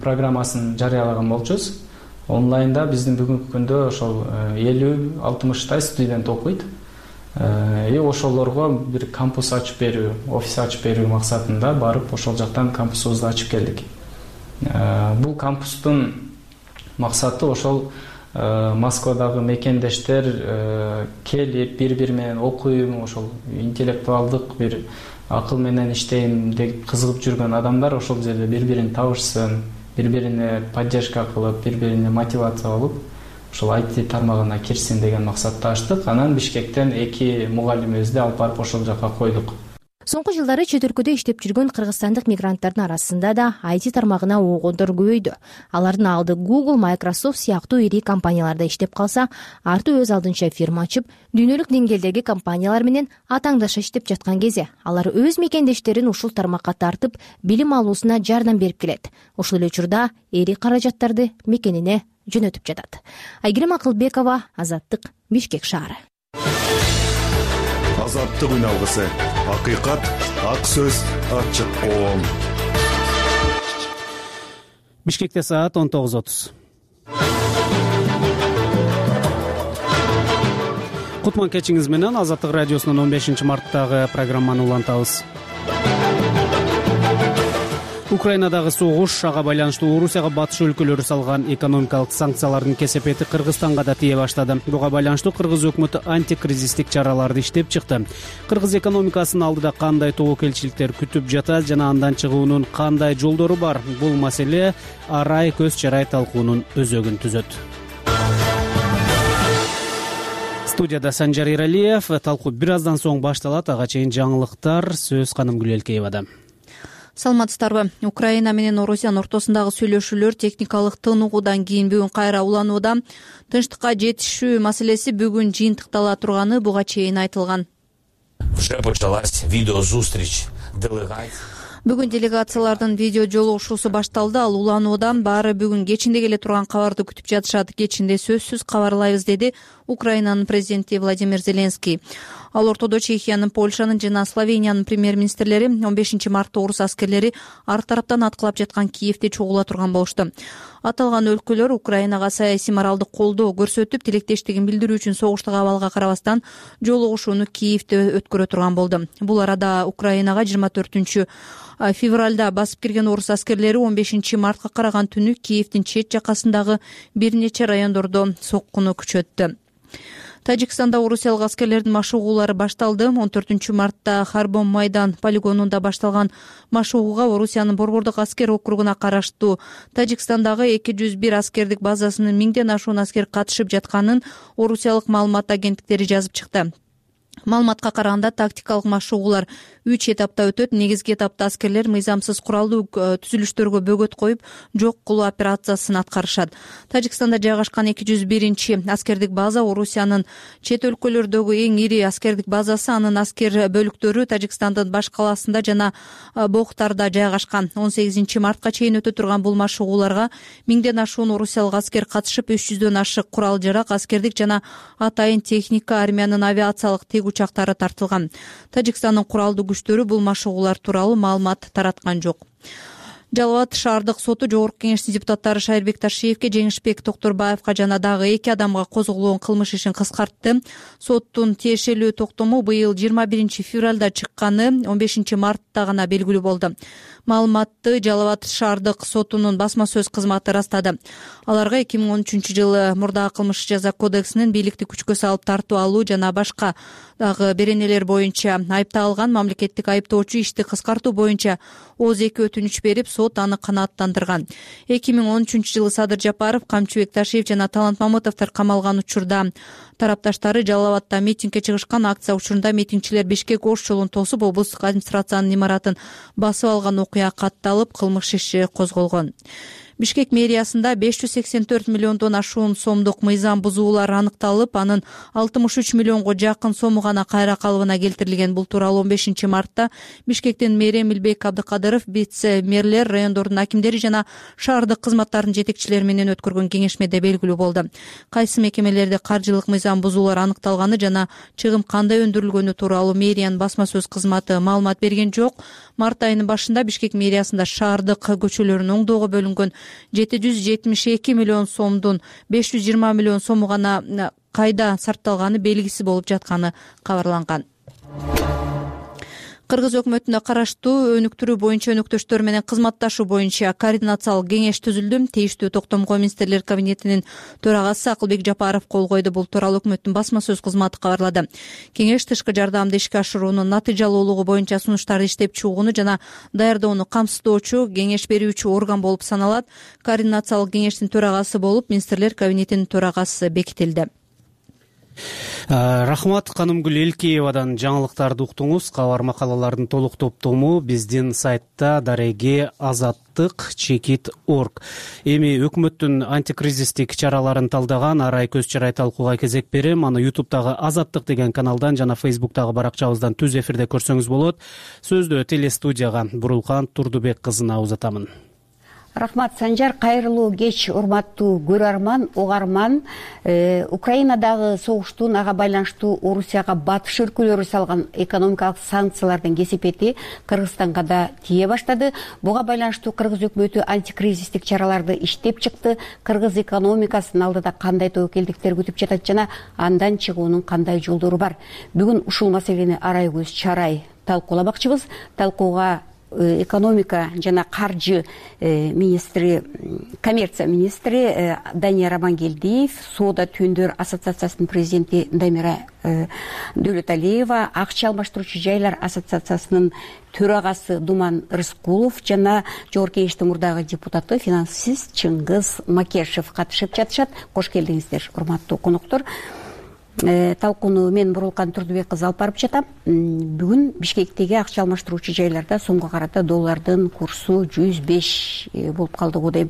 программасын жарыялаган болчубуз. Онлайнда биздин бүгүнкү күндө ошол элүү алтымыштай студент окуйт. И ошолорго бир кампус ачып берүү, офис ачып берүү максатында барып ошол жактан кампусубузду ачып келдик. Бул кампустун максаты ошол Москвадагы мекендештер келип бири бири менен окуйм, ошол интеллектуалдык бир акыл менен иштейм деп кызыгып жүргөн адамдар ошол жерде бири бирин табышсын, бири бирине поддержка кылып, бири бирине мотивация болуп ошол ай ти тармагына кирсин деген максатта ачтык. Анан Бишкектен эки мугалимибизди алып барып ошол жака койдук. Соңку жылдары чет өлкөдө иштеп жүргөн кыргызстандык мигранттардын арасында да ай ти тармагына оогондор көбөйдү. Алардын алды Google, Microsoft сыяктуу ири компанияларда иштеп калса, арты өз алдынча фирма ачып, дүйнөлүк деңгээлдеги компаниялар менен атаңдаша иштеп жаткан кезде алар өз мекендештерин ушул тармакка тартып, билим алуусуна жардам берип келет. Ошол эле учурда эри каражаттарды мекенине жөнөтүп жатат. Айгерим Акылбекова, Азаттык, Бишкек шаары. Азаттык үн алгысы. Акыйкат, ак сөз, ачык коом. Бишкекте саат он тогуз отуз. Кутман кечиңиз менен Азаттык радиосунун он бешинчи марттагы программаны улантабыз. Украинадагы согуш, ага байланыштуу Орусияга батыш өлкөлөрү салган экономикалык санкциялардын кесепети Кыргызстанга да тие баштады. Буга байланыштуу Кыргыз өкмөтү антикризистик чараларды иштеп чыкты. Кыргыз экономикасынын алдыда кандай тобокелчиликтер күтүп жатат жана андан чыгуунун кандай жолдору бар? Бул маселе арай көз чарай талкуунун өзөгүн түзөт. Студияда Санжар Иралиев. Талкуу бир аздан соң башталат. Ага чейин жаңылыктар сөз Каным Гүлелкеевада. Саламатсыздарбы? Украина менен Орусиянын ортосундагы сүйлөшүүлөр техникалык тынугудан кийин бүгүн кайра уланууда. Тынчтыкка жетишүү маселеси бүгүн жыйынтыктала турганы буга чейин айтылган. Бүгүн делегациялардын видео жолугушуусу башталды. Ал улануудан баары бүгүн кечинде келе турган кабарды күтүп жатышат. Кечинде сөзсүз кабарлайбыз, деди Украинанын президенти Владимир Зеленский. Ал ортодо Чехиянын, Польшанын жана Словениянын премьер-министрлери он бешинчи мартта орус аскерлери ар тараптан аткылап жаткан Киевде чогула турган болушту. Аталган өлкөлөр Украинага саясий моралдык колдоо көрсөтүп, тилектештигин билдирүү үчүн согуштагы абалга карабастан жолугушууну Киевде өткөрө турган болду. Бул арада Украинага жыйырма төртүнчү февралда басып кирген орус аскерлери он бешинчи мартка караган түнү Киевдин чет жакасындагы бир нече райондордо соккуну күчөттү. Тажикстанда орусиялык аскерлердин машыгуулары башталды. он төртүнчү мартта Харбон майдан полигонунда башталган машыгууга Орусиянын Борбордук аскер округуна караштуу Тажикстандагы эки жүз бир аскердик базасынын миңден ашуун аскер катышып жатканын орусиялык маалымат агенттиктери жазып чыкты. Маалыматка караганда тактикалык машыгуулар үч этапта өтөт. Негизги этапта аскерлер мыйзамсыз куралдуу түзүлүштөргө бөгөт коюп, жок кылуу операциясын аткарышат. Тажикстанда жайгашкан эки жүз биринчи аскердик база Орусиянын чет өлкөлөрдөгү эң ири аскердик базасы. Анын аскер бөлүктөрү Тажикстандын баш калаасында жана Бохтарда жайгашкан. он сегизинчи мартка чейин өтө турган бул машыгууларга миңден ашуун орусиялык аскер катышып, үч жүздөн ашык курал жарак, аскердик жана атайын техника, армиянын авиациялык тик учактары тартылган. Тажикстандын куралдуу күчтөрү бул машыгуулар тууралуу маалымат тараткан жок. Жалал Абад шаардык соту жогорку кеңештин депутаттары Шайырбек Ташиевке, Жеңишбек Токторбаевка жана дагы эки адамга козголгон кылмыш ишин кыскартты. Соттун тиешелүү токтому быйыл жыйырма биринчи февралда чыкканы он бешинчи мартта гана белгилүү болду. Маалыматты Жалал Абад шаардык сотунун басма сөз кызматы ырастады. Аларга эки миң он үчүнчү жылы мурдагы кылмыш жаза кодексинин бийликти күчкө салып тартуу алуу жана башка дагы беренелер боюнча айыпталган мамлекеттик айыптоочу ишти кыскартуу боюнча ооз эки өтүнүч берип, сот аны канааттандырган. эки миң он үчүнчү жылы Садыр Жапаров, Камчыбек Ташиев жана Талант Мамытовдор камалган учурда тарапташтары Жалал Абадда митингге чыгышкан. Акция учурунда митингчилер Бишкек Ош жолун тосуп, облустук администрациянын имаратын басып алган окуя катталып, кылмыш иши козголгон. Бишкек мэриясында беш жүз сексен төрт миллиондон ашуун сомдук мыйзам бузуулар аныкталып, анын алтымыш үч миллионго жакын сому гана кайра калыбына келтирилген. Бул тууралуу он бешинчи мартта Бишкектин мэри Эмилбек Абдыкадыров, вице-мэрлер, райондордун акимдери жана шаардык кызматтардын жетекчилери менен өткөргөн кеңешмеде белгилүү болду. Кайсы мекемелерде каржылык мыйзам бузуулар аныкталганы жана чыгым кандай өндүрүлгөнү тууралуу мэриянын басма сөз кызматы маалымат берген жок. Март айынын башында Бишкек мэриясында шаардык көчөлөрүн оңдоого бөлүнгөн жети жүз жетимиш эки миллион сомдун беш жүз жыйырма миллион сому гана кайда сарпталганы белгисиз болуп жатканы кабарланган. Кыргыз өкмөтүнө караштуу өнүктүрүү боюнча өнөктөштөр менен кызматташуу боюнча координациялык кеңеш түзүлдү. Тийиштүү токтомго министрлер кабинетинин төрагасы Акылбек Жапаров кол койду. Бул тууралуу өкмөттүн басма сөз кызматы кабарлады. Кеңеш тышкы жардамды ишке ашыруунун натыйжалуулугу боюнча сунуштарды иштеп чыгууну жана даярдоону камсыздоочу кеңеш берүүчү орган болуп саналат. Координациялык кеңештин төрагасы болуп министрлер кабинетинин төрагасы бекитилди. Рахмат, Канымгүл Элкеевадан жаңылыктарды уктуңуз. Кабар макалалардын толук топтому биздин сайтта дареге азаттык чекит орг. Эми өкмөттүн антикризистик чараларын талдаган арай көз чарай талкууга кезек берем. Аны ютубтагы Азаттык деген каналдан жана фейсбуктагы баракчабыздан түз эфирде көрсөңүз болот. Сөздү телестудияга Бурулкан Турдубек кызына узатамын. Рахмат, Санжар. Кайрылуу кеч, урматтуу көрөрман, угарман. Э, Украинадагы согуштун ага байланыштуу Орусияга батыш өлкөлөрү салган экономикалык санкциялардын кесепети Кыргызстанга да тие баштады. Буга байланыштуу Кыргыз өкмөтү антикризистик чараларды иштеп чыкты. Кыргыз экономикасынын алдыда кандай тобокелдиктер күтүп жатат жана андан чыгуунун кандай жолдору бар. Бүгүн ушул маселени арай көз чарай талкууламакчыбыз. Талкууга экономика жана каржы министри, коммерция министри Дания Рамангелдиев, Соода Түндөр ассоциациясынын президенти Дамира Дөөлөталиева, Акча алмаштыруучу жайлар ассоциациясынын төрагасы Думан Рыскулов жана жогорку кеңештин мурдагы депутаты, финансист Чыңгыз Макешев катышып жатышат. Кош келдиңиздер, урматтуу коноктор. Талкууну мен Бурулкан Турдубек кызы алып барып жатам. Бүгүн Бишкектеги акча алмаштыруучу жайларда сомго карата доллардын курсу жүз беш болуп калды го дейм.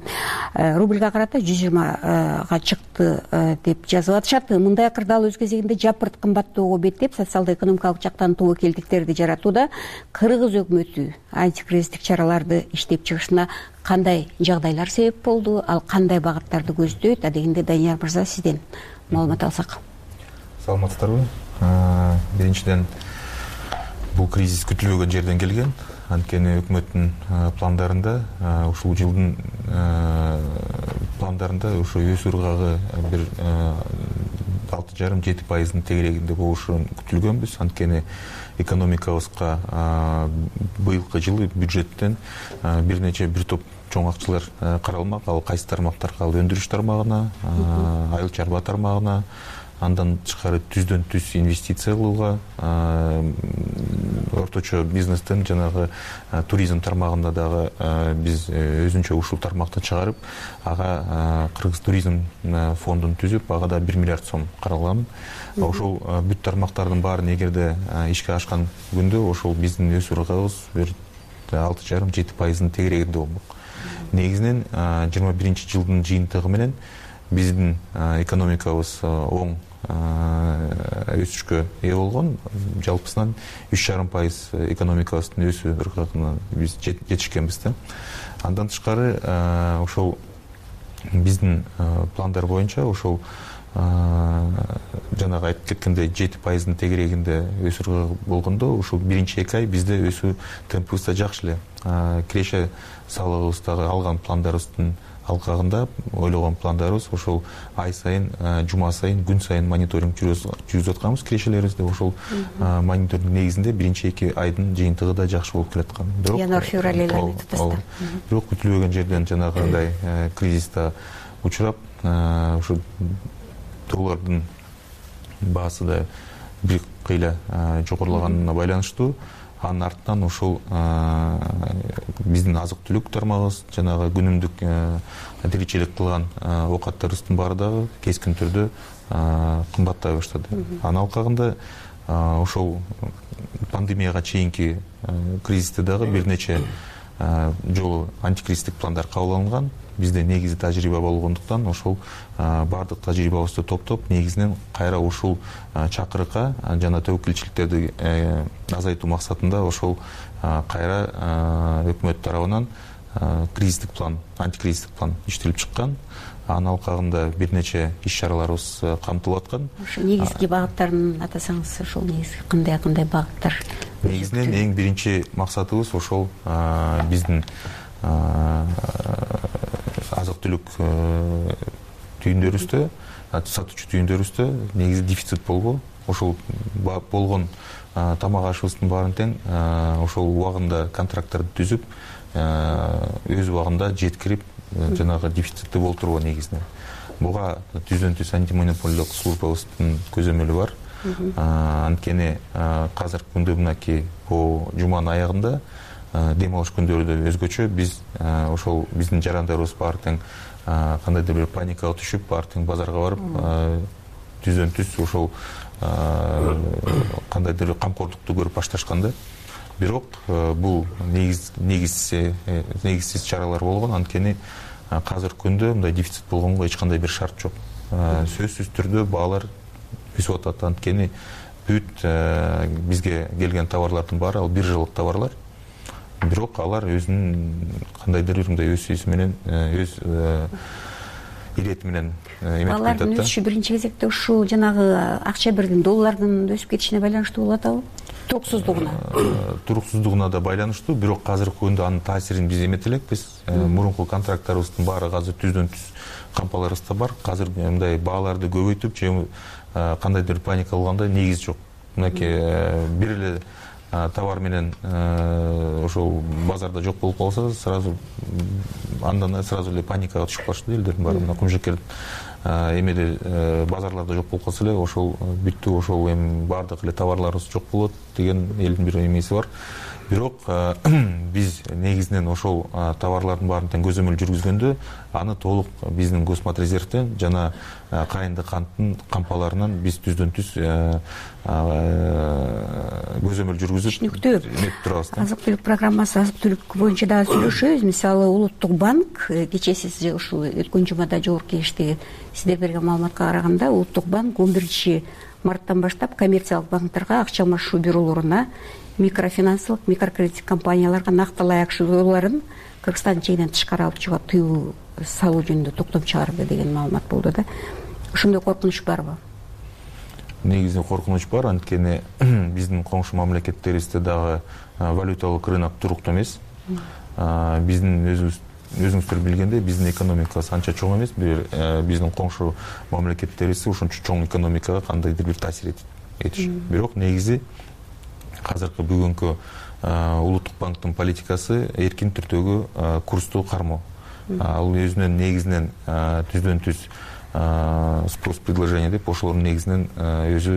Рубльга карата жүз жыйырмага чыкты деп жазып атышат. Мындай акырдал өз кезегинде жапырт кымбаттоого беттеп, социалдо-экономикалык жактан тобокелдиктерди жаратууда. Кыргыз өкмөтү антикризистик чараларды иштеп чыгышына кандай жагдайлар себеп болду, ал кандай багыттарды көздөйт? Адегенде Данияр мырза, сизден маалымат алсак. Саламатсыздарбы? Биринчиден, бул кризис күтүлбөгөн жерден келген. Анткени өкмөттүн пландарында, ушул жылдын пландарында ушу өсүү ыргагы бир алты жарым жети пайыздын тегерегинде болушу күтүлгөнбүз. Анткени экономикабызга быйылкы жылы бюджеттен бир нече бир топ чоң акчалар каралмак. Ал кайсы тармактарга? Ал өндүрүш тармагына, айыл чарба тармагына, андан тышкары түздөн түз инвестиция кылууга, орточо бизнестен жанагы туризм тармагында дагы биз өзүнчө ушул тармакты чыгарып, ага Кыргыз туризм фондун түзүп, ага да бир миллиард сом каралган. Ошол бүт тармактардын баарын эгерде ишке ашкан күндө ошол биздин өсүү ыргагыбыз бир алты жарым жети пайыздын тегерегинде болмок. Негизинен жыйырма биринчи жылдын жыйынтыгы менен биздин экономикабыз оң өсүшкө ээ болгон. Жалпысынан үч жарым пайыз экономикабыздын өсүү ыргагына биз жетишкенбиз да. Андан тышкары ошол биздин пландар боюнча ошол жанагы айтып кеткендей жети пайыздын тегерегинде өсүү болгондо, ушул биринчи эки ай бизде өсүү темпибиз да жакшы эле. Киреше салыгыбыздагы алган пландарыбыздын алкагында ойлогон пландарыбыз ошол ай сайын, жума сайын, күн сайын мониторинг жүргүзүп атканбыз кирешелерибизде. Ошол мониторинг негизинде биринчи эки айдын жыйынтыгы да жакшы болуп келаткан. Январь-февраль айларына татаста. Бирок күтүлбөгөн жерден жанагындай кризисте учурап, ушу доллардын баасы да бир кыйла жогорулаганына байланыштуу, анын артынан ошол биздин азык түлүк тармагыбыз, жанагы күнүмдүк тиричилик кылган оокаттарыбыздын баары дагы кескин түрдө кымбаттай баштады. Анын алкагында ошол пандемияга чейинки кризисте дагы бир нече жолу антикризистик пландар кабыл алынган. Бизде негизи тажрыйба болгондуктан ошол баардык тажрыйбабызды топтоп, негизинен кайра ушул чакырыкка жана тобокелчиликтерди азайтуу максатында ошол кайра өкмөт тарабынан кризистик план, антикризистик план иштелип чыккан. Анын алкагында бир нече иш-чараларыбыз камтылып аткан. Ошо негизги багыттарын атасаңыз, ошол негизги кандай-кандай багыттар? Негизинен эң биринчи максатыбыз ошол биздин азык түлүк түйүндөрүбүздө, сатуучу түйүндөрүбүздө негизи дефицит болгон. Ошол болгон тамак ашыбыздын баарын тең ошол убагында контракттарды түзүп, өз убагында жеткирип, жанагы дефицитти болтурбоо негизинен. Буга түздөн түз антимонополиялык службабыздын көзөмөлү бар. Анткени азыркы күндө мынакей по жуманын аягында дем алыш күндөрү да өзгөчө. Биз ошол биздин жарандарыбыз баары тең кандайдыр бир паникага түшүп, баары тең базарга барып, түздөн түз ошол кандайдыр бир камкордукту көрүп башташканда. Бирок бул негизсиз чаралар болгон. Анткени азыркы күндө мындай дефицит болгонго эч кандай бир шарт жок. Сөзсүз түрдө баалар өсүп атат. Анткени бүт бизге келген товарлардын баары ал бир жылдык товарлар. Бирок алар өзүнүн кандайдыр бир мындай өсүүсү менен, өз ирети менен эметип атат. Баалардын өсүшү биринчи кезекте ушул жанагы акча бирдин, доллардын өсүп кетишине байланыштуу болуп атабы? Туруксуздугуна. Туруксуздугуна да байланыштуу, бирок азыркы күндө анын таасирин биз эмете элекпиз. Мурунку контракттарыбыздын баары азыр түздөн түз кампаларыбызда бар. Азыр мындай бааларды көбөйтүп же кандайдыр паника болгондой негиз жок. Мынакей бир эле товар менен ошол базарда жок болуп калса, сразу андан сразу эле паникага түшүп калышты элдердин баары. Мына кумжекер эмеде базарларда жок болуп калса эле, ошол бүттү, ошол эми баардык эле товарларыбыз жок болот деген элдин бир эмеси бар. Бирок биз негизинен ошол товарлардын баарын тең көзөмөл жүргүзгөндө аны толук биздин Госматрезервден жана кайынды канттын кампаларынан биз түздөн түз көзөмөл жүргүзүп эметип турабыз. Азык түлүк программасы, азык түлүк боюнча дагы сүйлөшөбүз. Мисалы Улуттук банк кечээ сиз ушул өткөн жумада жогорку кеңеште сиздер берген маалыматка караганда, Улуттук банк он биринчи марттан баштап коммерциялык банктерге акча алмашуу бюролоруна, микрофинансылык, микрокредиттик компанияларга накталай акчаларын Кыргызстандын чегинен тышкары алып чыгууга тыюу салуу жөнүндө токтом чыгарды деген маалымат болду да. Ошондой коркунуч барбы? Негизи коркунуч бар, анткени биздин коңшу мамлекеттерибизде дагы валюталык рынок туруктуу эмес. Биздин өзүбүз өзүңүздөр билгендей, биздин экономикабыз анча чоң эмес. Биздин коңшу мамлекеттерибиз ушунча чоң экономикага кандайдыр бир таасир этишет. Бирок негизи азыркы бүгүнкү Улуттук банктын политикасы эркин түрдөгү курсту кармоо. Ал өзүнүн негизинен түздөн түз спрос предложение деп ошолордун негизинен өзү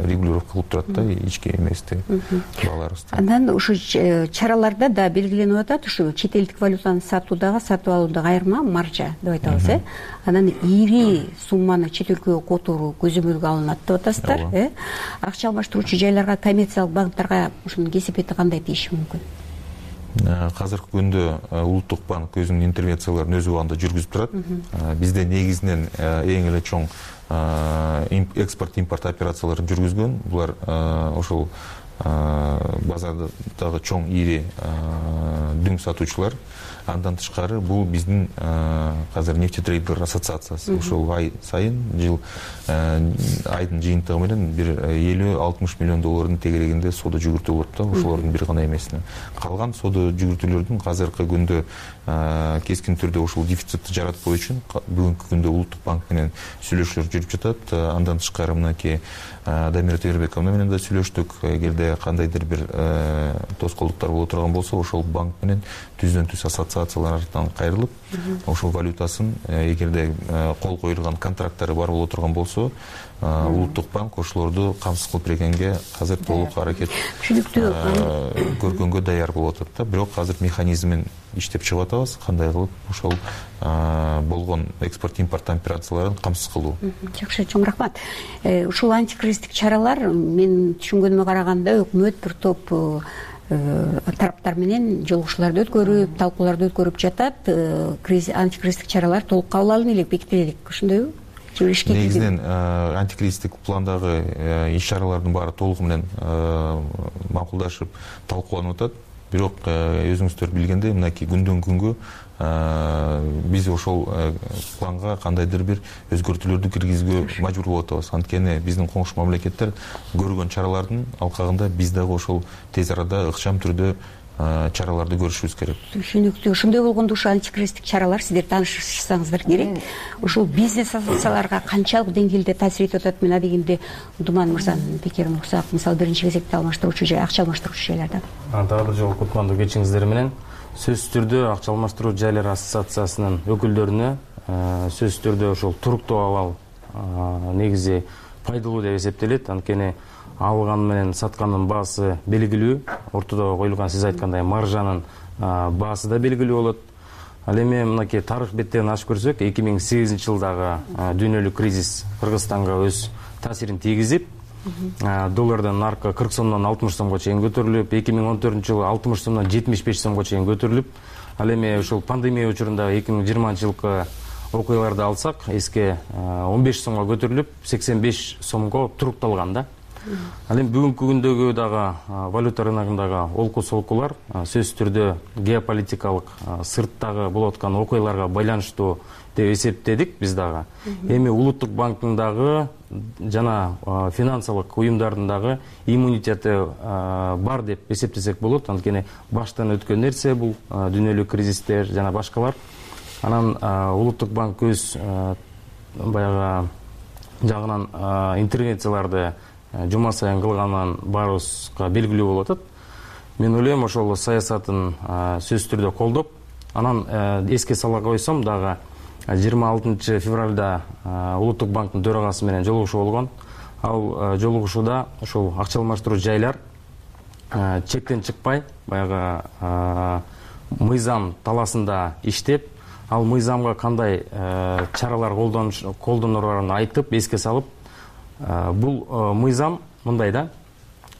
регулировка кылып турат да, ички эмести бааларыбызды. Андан ушу чараларда да белгиленип атат, ушу чет элдик валютаны сатуудагы, сатып алуудагы айырма маржа деп айтабыз, э. Анан ири сумманы чет өлкөгө которуу көзөмөлгө алынат деп атасыздар, э. Акча алмаштыруучу жайларга, коммерциялык банктерге ушунун кесепети кандай тийиши мүмкүн? Азыркы күндө Улуттук банк өзүнүн интервенцияларын өз убагында жүргүзүп турат. Бизде негизинен эң эле чоң экспорт импорт операцияларын жүргүзгөн. Булар ошол базардагы чоң ири дүң сатуучулар. Андан тышкары бул биздин азыр нефтетрейдер ассоциациясы. Ошол ай сайын жыл айдын жыйынтыгы менен бир элүү алтымыш миллион доллардын тегерегинде соода жүгүртүү болот да, ошолордун бир гана эмесине. Калган соода жүгүртүүлөрдүн азыркы күндө кескин түрдө ушул дефицитти жаратпоо үчүн бүгүнкү күндө Улуттук банк менен сүйлөшүүлөр жүрүп жатат. Андан тышкары мынакей Дамира Тегербековна менен да сүйлөштүк. Эгерде кандайдыр бир тоскоолдуктар боло турган болсо, ошол банк менен түздөн түз ассоциациялар артынан кайрылып, ошол валютасын эгерде кол коюлган контракттары бар боло турган болсо, Улуттук банк ошолорду камсыз кылып бергенге азыр толук аракет көргөнгө даяр болуп атат да. Бирок азыр механизмин иштеп чыгып атабыз, кандай кылып ошол болгон экспорт импорт операцияларын камсыз кылуу. Жакшы, чоң рахмат. Ушул антикризистик чаралар мен түшүнгөнүмө караганда өкмөт бир топ тараптар менен жолугушууларды өткөрүп, талкууларды өткөрүп жатат. Антикризистик чаралар толук кабыл алынып элек, бекитиле элек. Ошондойбу? Негизинен антикризистик пландагы иш-чаралардын баары толугу менен макулдашып талкууланып атат. Бирок өзүңүздөр билгендей, мынакей күндөн күнгө биз ошол планга кандайдыр бир өзгөртүүлөрдү киргизүүгө мажбур болуп атабыз. Анткени биздин коңшу мамлекеттер көргөн чаралардын алкагында биз дагы ошол тез арада ыкчам түрдө чараларды көрүшүбүз керек. Түшүнүктүү. Ошондой болгондо ушу антикризистик чаралар сиздер таанышсаңыздар керек. Ушул бизнес ассоциацияларга канчалык деңгээлде таасир этип атат? Мен адегенде Думан мырзанын пикирин уксак, мисалы биринчи кезекте алмаштыруучу жай, акча алмаштыруучу жайларда. Дагы бир жолу кутмандуу кечиңиздер менен сөзсүз түрдө акча алмаштыруу жайлары ассоциациясынын өкүлдөрүнө сөзсүз түрдө ошол туруктуу абал негизи пайдалуу деп эсептелет. Анткени алган менен саткандын баасы белгилүү, ортодо коюлган сиз айткандай маржанын баасы да белгилүү болот. Ал эми мынакей тарых беттерин ачып көрсөк, эки миң сегизинчи жылдагы дүйнөлүк кризис Кыргызстанга өз таасирин тийгизип, доллардын наркы кырк сомдон алтымыш сомго чейин көтөрүлүп, эки миң он төртүнчү жылы алтымыш сомдон жетимиш беш сомго чейин көтөрүлүп, ал эми ушул пандемия учурундагы эки миң жыйырманчы жылкы окуяларды алсак, эске он беш сомго көтөрүлүп, сексен беш сомго турукталган да. Ал эми бүгүнкү күндөгү дагы валюта рыногундагы олку-солкулар сөзсүз түрдө геополитикалык сырттагы болуп аткан окуяларга байланыштуу деп эсептедик биз дагы. Эми Улуттук банктын дагы жана финансылык уюмдардын дагы иммунитети бар деп эсептесек болот. Анткени баштан өткөн нерсе бул дүйнөлүк кризистер жана башкалар. Анан Улуттук банк өз баягы жагынан интервенцияларды жума сайын кылганын баарыбызга белгилүү болуп атат. Мен ойлойм, ошол саясатын сөзсүз түрдө колдоп, анан эске сала койсом дагы жыйырма алтынчы февралда Улуттук банктын төрагасы менен жолугушуу болгон. Ал жолугушууда ошол акча алмаштыруу жайлар чектен чыкпай, баягы мыйзам талаасында иштеп, ал мыйзамга кандай чаралар колдонорун айтып, эске салып, бул мыйзам мындай да,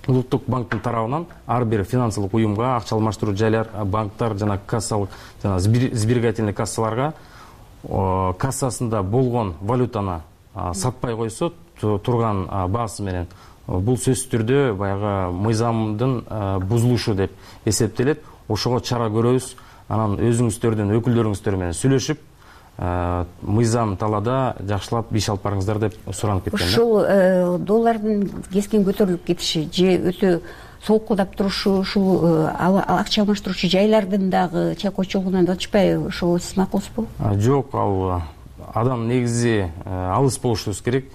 Улуттук банктын тарабынан ар бир финансылык уюмга, акча алмаштыруу жайлар, банктар жана кассалык жана сберегательный кассаларга кассасында болгон валютаны сатпай койсо турган баасы менен, бул сөзсүз түрдө баягы мыйзамдын бузулушу деп эсептелет. Ошого чара көрөбүз. Анан өзүңүздөрдүн өкүлдөрүңүздөр менен сүйлөшүп, мыйзам талаада жакшылап иш алып барыңыздар деп суранып кеткен. Ушул доллардын кескен көтөрүлүп кетиши же өтө солкулдап турушу ушул акча алмаштыруучу жайлардын дагы чайкоочулугунан атышпайбы? Ошол сиз макулсузбу? Жок, ал адам негизи алыс болушубуз керек.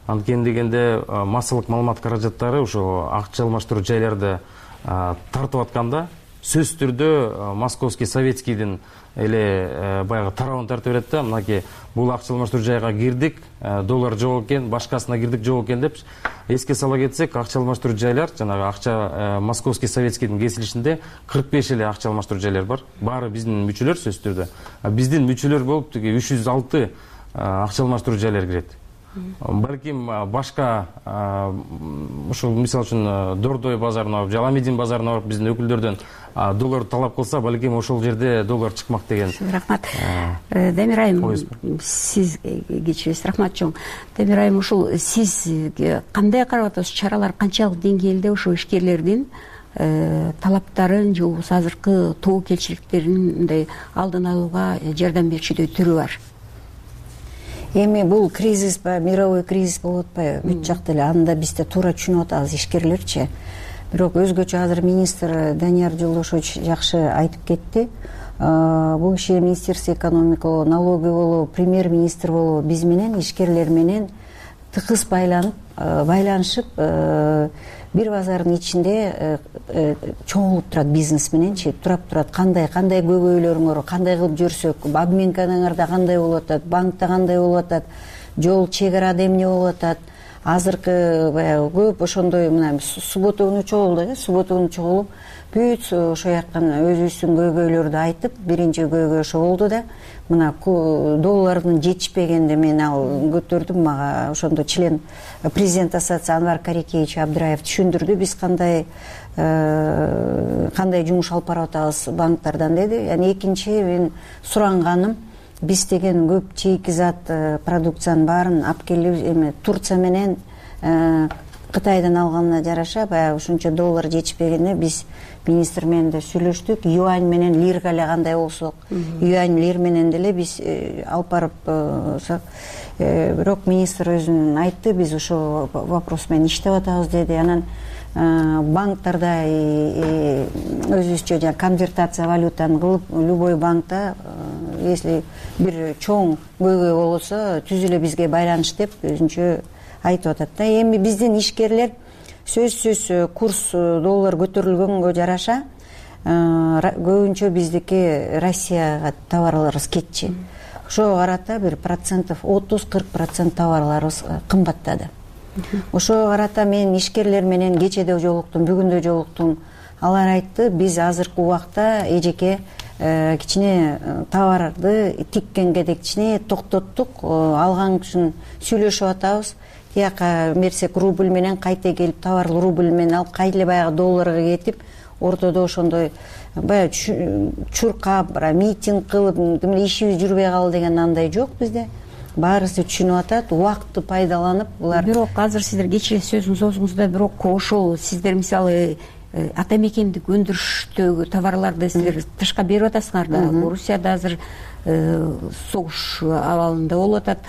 Анткени дегенде массалык маалымат каражаттары ошо акча алмаштыруу жайларды тартып атканда сөзсүз түрдө Московский Советскийдин эле баягы тарабын тартып берет да. Мынакей бул акча алмаштыруу жайга кирдик, доллар жок экен, башкасына кирдик, жок экен деп эске сала кетсек, акча алмаштыруу жайлар жанагы акча Московский Советскийдин кесилишинде кырк беш эле акча алмаштыруу жайлар бар. Баары биздин мүчөлөр сөзсүз түрдө. Биздин мүчөлөр болуп тиги үч жүз алты акча алмаштыруу жайлар кирет. Балким башка ушул мисалы үчүн Дордой базарына, Жаламедин базарына барып биздин өкүлдөрдөн доллар талап кылса, балким ошол жерде доллар чыкмак деген. Рахмат. Демир айым, сиз кечиресиз. Рахмат чоң. Демир айым, ушул сиз кандай карап атасыз? Чаралар канчалык деңгээлде ошо ишкерлердин талаптарын же болбосо азыркы тобокелчиликтерин мындай алдын алууга жардам берчүдөй түрү бар? Эми бул кризис ба, мировой кризис болуп атпайбы? Бүт жакта эле анда биз да туура түшүнүп атабыз, ишкерлерчи. Бирок өзгөчө азыр министр Данияр Жолдошович жакшы айтып кетти. Бул киши Министерство экономика болобу, налоги болобу, премьер-министр болобу биз менен ишкерлер менен тыкыз байланып, байланышып, бир базардын ичинде чогулуп турат бизнес мененчи, турап турат. Кандай кандай көбөйлөрүңөр, кандай кылып жүрсөк, обменкаңарда кандай болуп атат, банкта кандай болуп атат, жол чек арада эмне болуп атат. Азыркы баягы көп ошондой мына суббота күнү чогулду, э, суббота күнү чогулуп, бүт ошо жактан өзүбүздүн көйгөйлөрдү айтып, биринчи көйгөй ошо болду да. Мына доллардын жетишпегенде мен ал көтөрдүм, мага ошондо член президент ассоциации Анвар Карикеевич Абдыраев түшүндүрдү, биз кандай кандай жумуш алып барып атабыз банктардан деди. Яны экинчи мен суранганым, биз деген көп чейкизат продукциянын баарын алып келип эме Турция менен Кытайдан алганына жараша, баягы ушунча доллар жетишпегенде биз министр менен да сүйлөштүк. Юань менен лирга эле кандай болсок, юань лир менен деле биз алып барып, бирок министр өзүн айтты, биз ошол вопрос менен иштеп атабыз деди. Анан банктарда өзүбүзчө жанагы конвертация валютаны кылып любой банкта если бир чоң көйгөй болсо түз эле бизге байланыш деп өзүнчө айтып атат да. Эми биздин ишкерлер сөзсүз курс доллар көтөрүлгөнгө жараша көбүнчө биздики Россияга товарларыбыз кетчи. Ошого карата бир процентов отуз кырк процент товарларыбыз кымбаттады. Ошого карата мен ишкерлер менен кечеде жолуктум, бүгүн да жолуктум. Алар айтты, биз азыркы убакта эжеке кичине товарды тиккенге де кичине токтоттук, алган үчүн сүйлөшүп атабыз. Тияка мерсек рубль менен кайта келип товарлы рубль менен алып кайра баягы долларга кетип, ортодо ошондой баягы чуркап, митинг кылып, ишибиз жүрбөй калды деген андай жок bizde. Баарысы түшүнүп атат, убакытты пайдаланып булар. Бирок азыр сиздер кечээ сөзүңүз соңунда бирок ошол сиздер мисалы ата мекендик өндүрүштөгү товарларды сиздер тышка берип атасыңар да. Орусияда азыр согуш абалында болуп атат.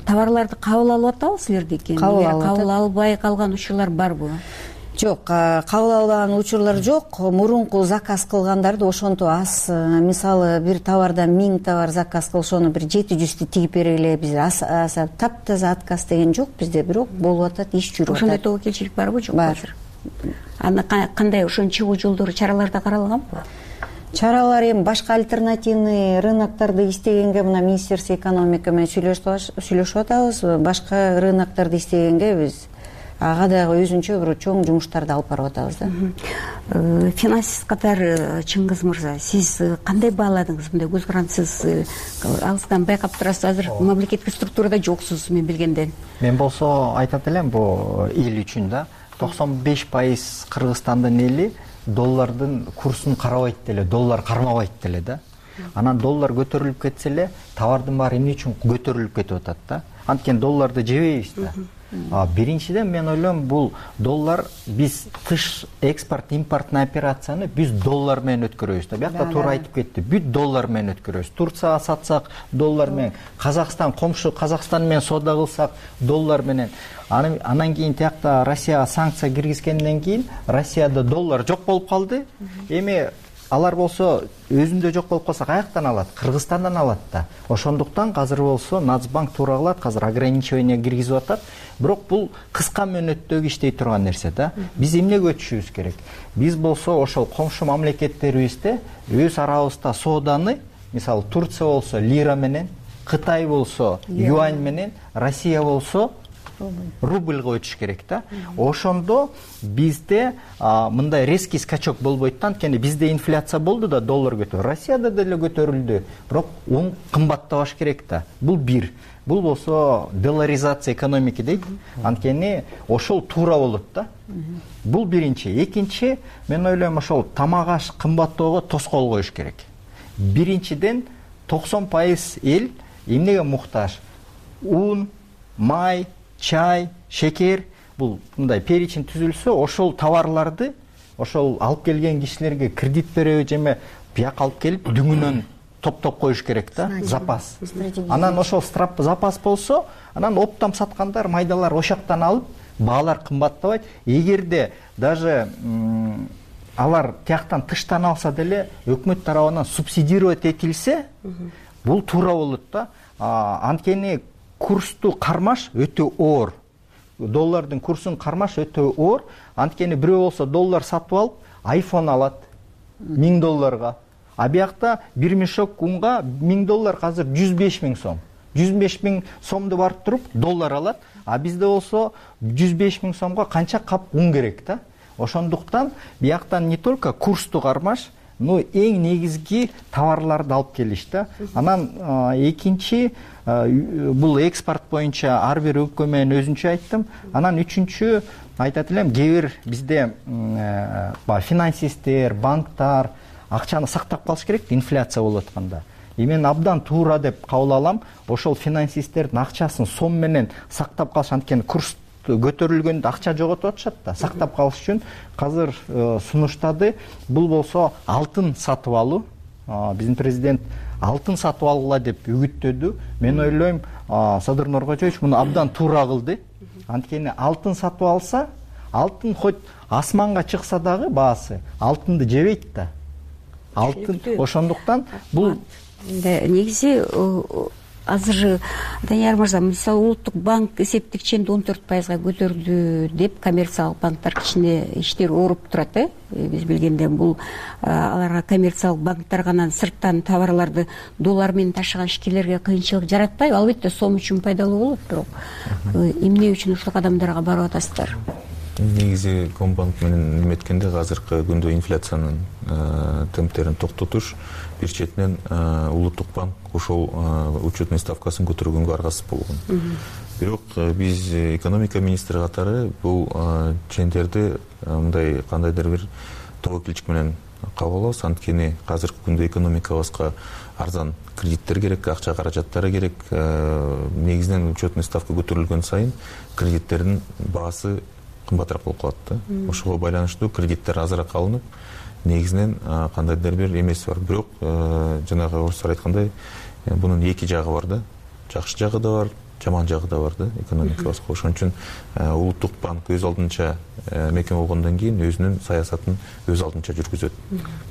Товарларды кабыл алып атабы силердики? Кабыл албай калган учурлар барбы? Жок, кабыл албаган учурлар жок. Мурунку заказ кылгандарды ошонтип аз, мисалы бир товардан миң товар заказ кылышаны бир жети жүздү тигип бергиле, биз таптаза отказ деген жок бизде, бирок болуп атат, иш жүрүп атат. Ошондой тобокелчилик барбы, жокпу азыр? Аны кандай ошонун чыгуу жолдору, чараларда каралганбы? Чаралар эми башка альтернативный рыноктарды издегенге мына Министерство экономика менен сүйлөшүп атабыз. Башка рыноктарды издегенге биз ага дагы өзүнчө бир чоң жумуштарды алып барып атабыз да. Финансист катары Чыңгыз мырза, сиз кандай бааладыңыз мындай көз карандысыз? Алыстан байкап турасыз, азыр мамлекеттик структурада жоксуз мен билгенден. Мен болсо айтат элем, бул эл үчүн да токсон беш пайыз Кыргызстандын эли доллардын курсун карабайт деле, доллар кармабайт деле да. Анан доллар көтөрүлүп кетсе эле товардын баары эмне үчүн көтөрүлүп кетип атат да. Анткени долларды жебейбиз да. Биринчиден мен ойлойм, бул доллар биз тыш экспорт импорттун операцияны биз доллар менен өткөрөбүз да. Биякта туура айтып кетти. Бүт доллар менен өткөрөбүз. Турцияга сатсак доллар менен, Казакстан комшу Казакстан менен соода кылсак доллар менен. Анан кийин тиякта Россияга санкция киргизгенден кийин Россияда доллар жок болуп калды. Эми алар болсо өзүндө жок болуп калса каяктан алат? Кыргызстандан алат да. Ошондуктан азыр болсо Нацбанк туура кылат, азыр ограничение киргизип атат. Бирок бул кыска мөөнөттөгү иштей турган нерсе да. Биз эмнеге өтүшүбүз керек? Биз болсо ошол комшу мамлекеттерибизде өз арабызда сооданы, мисалы Турция болсо лира менен, Кытай болсо юань менен, Россия болсо рубльга өтүш керек да. Ошондо бизде мындай резкий скачок болбойт да. Анткени бизде инфляция болду да, доллар көтөрүлдү. Россияда деле көтөрүлдү. Бирок он кымбаттабаш керек да. Бул бир. Бул болсо долларизация экономики дейт. Анткени ошол туура болот да. Бул биринчи. Экинчи, мен ойлойм, ошол тамак аш кымбаттоого тоскоол коюш керек. Биринчиден токсон пайыз эл эмнеге муктаж? Un, май, чай, шекер, бул мындай перечень түзүлсө, ошол товарларды ошол алып келген кишилерге кредит береби жеме бияка алып келип дүңүнөн топтоп коюш керек да, запас. Анан ошол запас болсо, анан оптом саткандар, майдалар ошактан алып, баалар кымбаттабайт. Эгерде даже алар тияктан тыштан алса деле өкмөт тарабынан субсидировать этилсе, бул туура болот да. Анткени курсту кармаш өтө оор. Доллардын курсун кармаш өтө оор. Анткени бирөө болсо доллар сатып алып, айфон алат миң долларга. А биякта бир мешок унга миң доллар азыр жүз беш миң сом. жүз беш миң сомду барып туруп доллар алат. А бизде болсо жүз беш миң сомго канча кап ун керек да. Ошондуктан бияктан не только курсту кармаш, но эң негизги товарларды алып келиш да. Анан экинчи, бул экспорт боюнча ар бир өлкө менен өзүнчө айттым. Анан үчүнчү айтат элем, кээ бир бизде финансисттер, банктар акчаны сактап калыш керек, инфляция болуп атканда. И мен абдан туура деп кабыл алам, ошол финансисттердин акчасын сом менен сактап калыш, анткени курс көтөрүлгөндө акча жоготуп атышат да. Сактап калыш үчүн азыр сунуштады. Бул болсо алтын сатып алуу. Биздин президент алтын сатып алгыла деп үгүттөдү. Мен ойлойм, Садыр Нуркожоевич муну абдан туура кылды. Анткени алтын сатып алса, алтын хоть асманга чыкса дагы баасы алтынды жебейт да. Алтын ошондуктан бул негизи азыр Данияр мырза, мисалы улуттук банк эсептик ченди он төрт пайызга көтөрдү деп коммерциялык банктар кичине иштери ооруп турат. Э биз билгенде бул аларга коммерциялык банктар гана сырттан товарларды доллар менен ташыган ишкерлерге кыйынчылык жаратпайбы? Албетте сом үчүн пайдалуу болот, бирок эмне үчүн ушул кадамдарга барып атасыздар? Негизи Комбанк менен эметкенде азыркы күндө инфляциянын темптерин токтотуш, бир четинен улуттук банк ошол учетный ставкасын көтөргөнгө аргасыз болгон. Бирок биз экономика министри катары бул чендерди мындай кандайдыр бир тобокелчилик менен кабыл алабыз. Анткени азыркы күндө экономикабызга арзан кредиттер керек, акча каражаттары керек. Негизинен учетный ставка көтөрүлгөн сайын кредиттердин баасы кымбатыраак болуп калат да. Ошого байланыштуу кредиттер азыраак алынып, негизинен кандайдыр бир эмеси бар. Бирок жанагы орустар айткандай, бунун эки жагы бар да. Жакшы жагы да бар, жаман жагы да бар да экономикабызга. Ошон үчүн улуттук банк өз алдынча мекеме болгондон кийин өзүнүн саясатын өз алдынча жүргүзөт.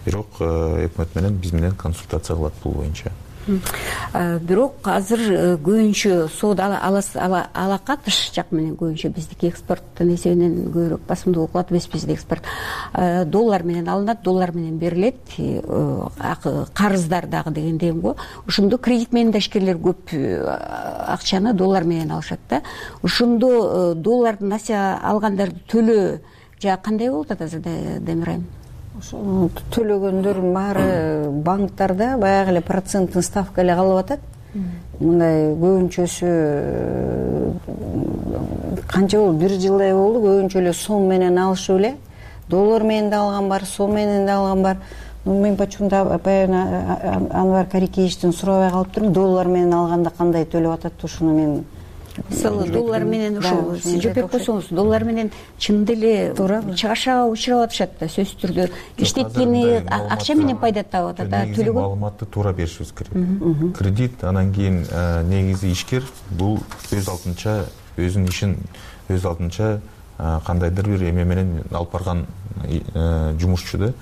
Бирок өкмөт менен биз менен консультация кылат бул боюнча. Бирок азыр көбүнчө соода алака тыш жак менен көбүнчө биздики экспорттун эсебинен көбүрөөк басымдуу кылат эмес бизде экспорт. Доллар менен алынат, доллар менен берилет, карыздар дагы дегендей го. Ошондо кредит менен да ишкерлер көп акчаны доллар менен алышат да. Ошондо доллардын несие алгандарды төлөө жа кандай болуп атат азыр Демирайым? Ошону төлөгөндөрдүн баары банктарда баягы эле проценттин ставка эле калып атат. Мындай көбүнчөсү канча болду, бир жылдай болду, көбүнчө эле сом менен алышып эле. Доллар менен да алган бар, сом менен да алган бар. Мен почему-то баягы Анвар Карикеевичтен сурабай калыптырмын, доллар менен алганда кандай төлөп атат, ошону мен мисалы доллар менен ошол сиз жооп берип койсоңуз, доллар менен чын деле чыгашага учурап атышат да, сөзсүз түрдө иштеткени акча менен пайда таап атат да, төлөгөн маалыматты туура беришибиз керек. Кредит, анан кийин негизи ишкер бул өз алдынча өзүнүн ишин өз алдынча кандайдыр бир эме менен алып барган жумушчу да.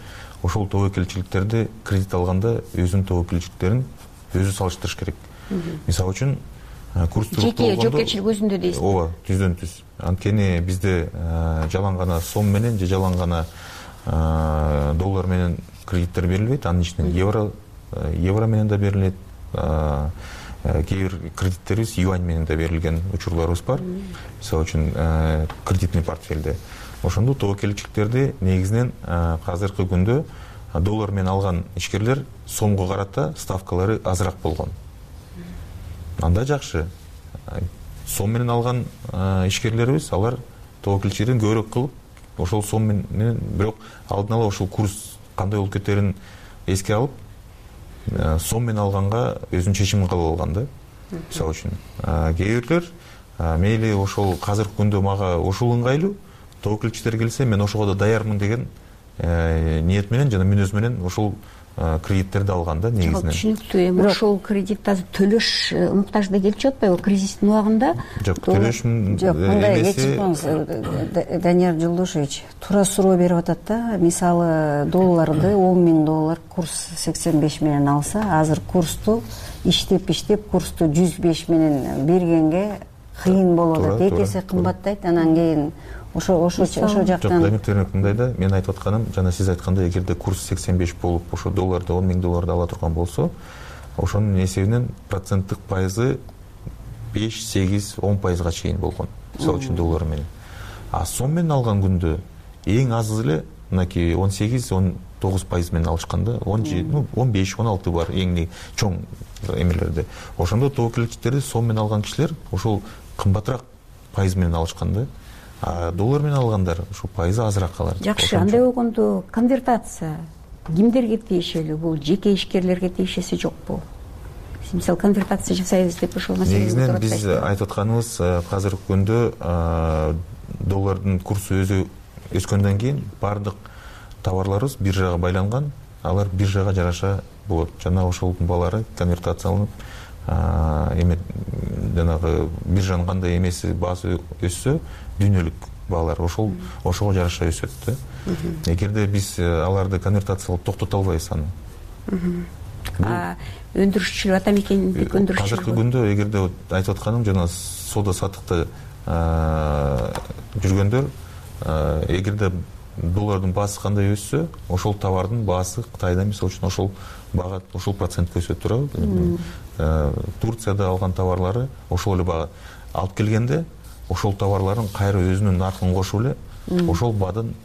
Ошол тобокелчиликтерди кредит алганда өзүнүн тобокелчиликтерин өзү салыштырыш керек. Мисалы үчүн курстук жеке жоопкерчилик өзүндө дейсиз. Ооба, түздөн түз. Анткени бизде жалаң гана сом менен же жалаң гана доллар менен кредиттер берилбейт, анын ичинен евро евро менен да берилет. Кээ бир кредиттерибиз юань менен да берилген учурларыбыз бар. Мисалы үчүн кредитный портфелде. Ошондо тобокелчиликтерди негизинен азыркы күндө доллар менен алган ишкерлер сомго карата ставкалары азыраак болгон. Анда жакшы. Сом менен алган ишкерлерибиз алар тобокелчилигин көбүрөөк кылып, ошол сом менен бирок алдын ала ошол курс кандай болуп кетерин эске алып, сом менен алганга өзүнүн чечимин кабыл алган да. Мисалы үчүн, кээ бирлер мейли ошол азыркы күндө мага ошол ыңгайлуу, тобокелчилер келсе мен ошого да даярмын деген ниет менен жана мүнөз менен ошол кредиттерди алган да негизинен. Түшүнүктүү. Эми ошол кредит азыр төлөш муктаждыгы келип жатпайбы атпайбы кризистин убагында? Жок, төлөш жок, мындай кечип коюңуз, Данияр Жолдошевич туура суроо берип атат да. Мисалы долларды он миң доллар курс сексен беш менен алса, азыр курсту иштеп иштеп курсту жүз беш менен бергенге кыйын болуп атат. Эки эсе кымбаттайт, анан кийин ошо ошо ошо жактан Жок, мындай да, мен айтып атканым жана сиз айткандай, эгерде курс сексен беш болуп, ошо долларды он миң долларды ала турган болсо, ошонун эсебинен проценттик пайызы беш, сегиз, он пайызга чейин болгон. Мисалы үчүн доллар менен. А сом менен алган күндө эң аз эле мынакей он сегиз, он тогуз пайыз менен алышканда, он беш, он алты бар эң чоң эмелерде. Ошондо тобокелчиликтерди сом менен алган кишилер ошол кымбатыраак пайыз менен алышканда, доллар менен алгандар ошо пайызы азыраак калат. Жакшы, андай болгондо конвертация кимдерге тиешелүү? Бул жеке ишкерлерге тиешеси жокпу? Мисалы конвертация жасайбыз деп ошол маселени негизинен биз айтып атканыбыз, азыркы күндө доллардын курсу өзү өскөндөн кийин баардык товарларыбыз биржага байланган, алар биржага жараша болот. Жана ошолдун баалары конвертацияланып, эме жанагы биржанын кандай эмеси баасы өссө, дүйнөлүк баалар ошол ошого жараша өсөт да. Эгерде биз аларды конвертациялап токтото албайбыз аны, өндүрүшчүлөр ата мекендик өндүрүшчүлөр азыркы күндө эгерде айтып атканым жана соода саттыкта жүргөндөр, эгерде доллардын баасы кандай өссө, ошол товардын баасы Кытайда мисалы үчүн ошол бага ошол процентке өсөт туурабы. Турцияда алган товарлары ошол эле бага алып келгенде, ошол товарларын кайра өзүнүн наркын кошуп эле ошол баадан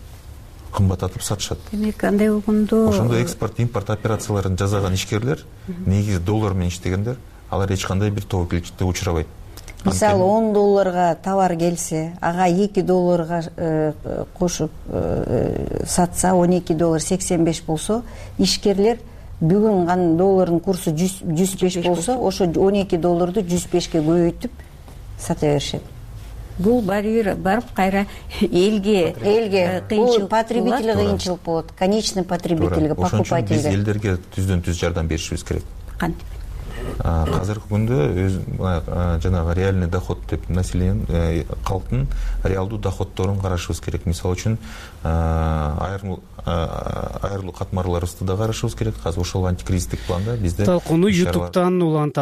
кымбаттатып сатышат. Демек андай болгондо ошондо экспорт импорт операцияларын жасаган ишкерлер, негизи доллар менен иштегендер, алар эч кандай бир тобокелчиликке учурабайт. Мисалы он долларга товар келсе, ага эки долларга кошуп сатса, он эки доллар сексен беш болсо, ишкерлер бүгүн гана доллардын курсу жүз беш болсо, ошо он эки долларды жүз бешке көбөйтүп сата беришет. Бул барьер барып кайра элге элге бул потребителге кыйынчылык болот, конечный потребительге, покупательге. Биз элдерге түздөн түз жардам беришибиз керек. Кантип? Азыркы күндө өз жанагы реальный доход деп население калктын реалдуу доходдорун карашыбыз керек. Мисалы үчүн айрым айрылуу катмарларыбызды да карашыбыз керек. Азыр ошол антикризистик планда бизде талкууну ютубтан улантабыз.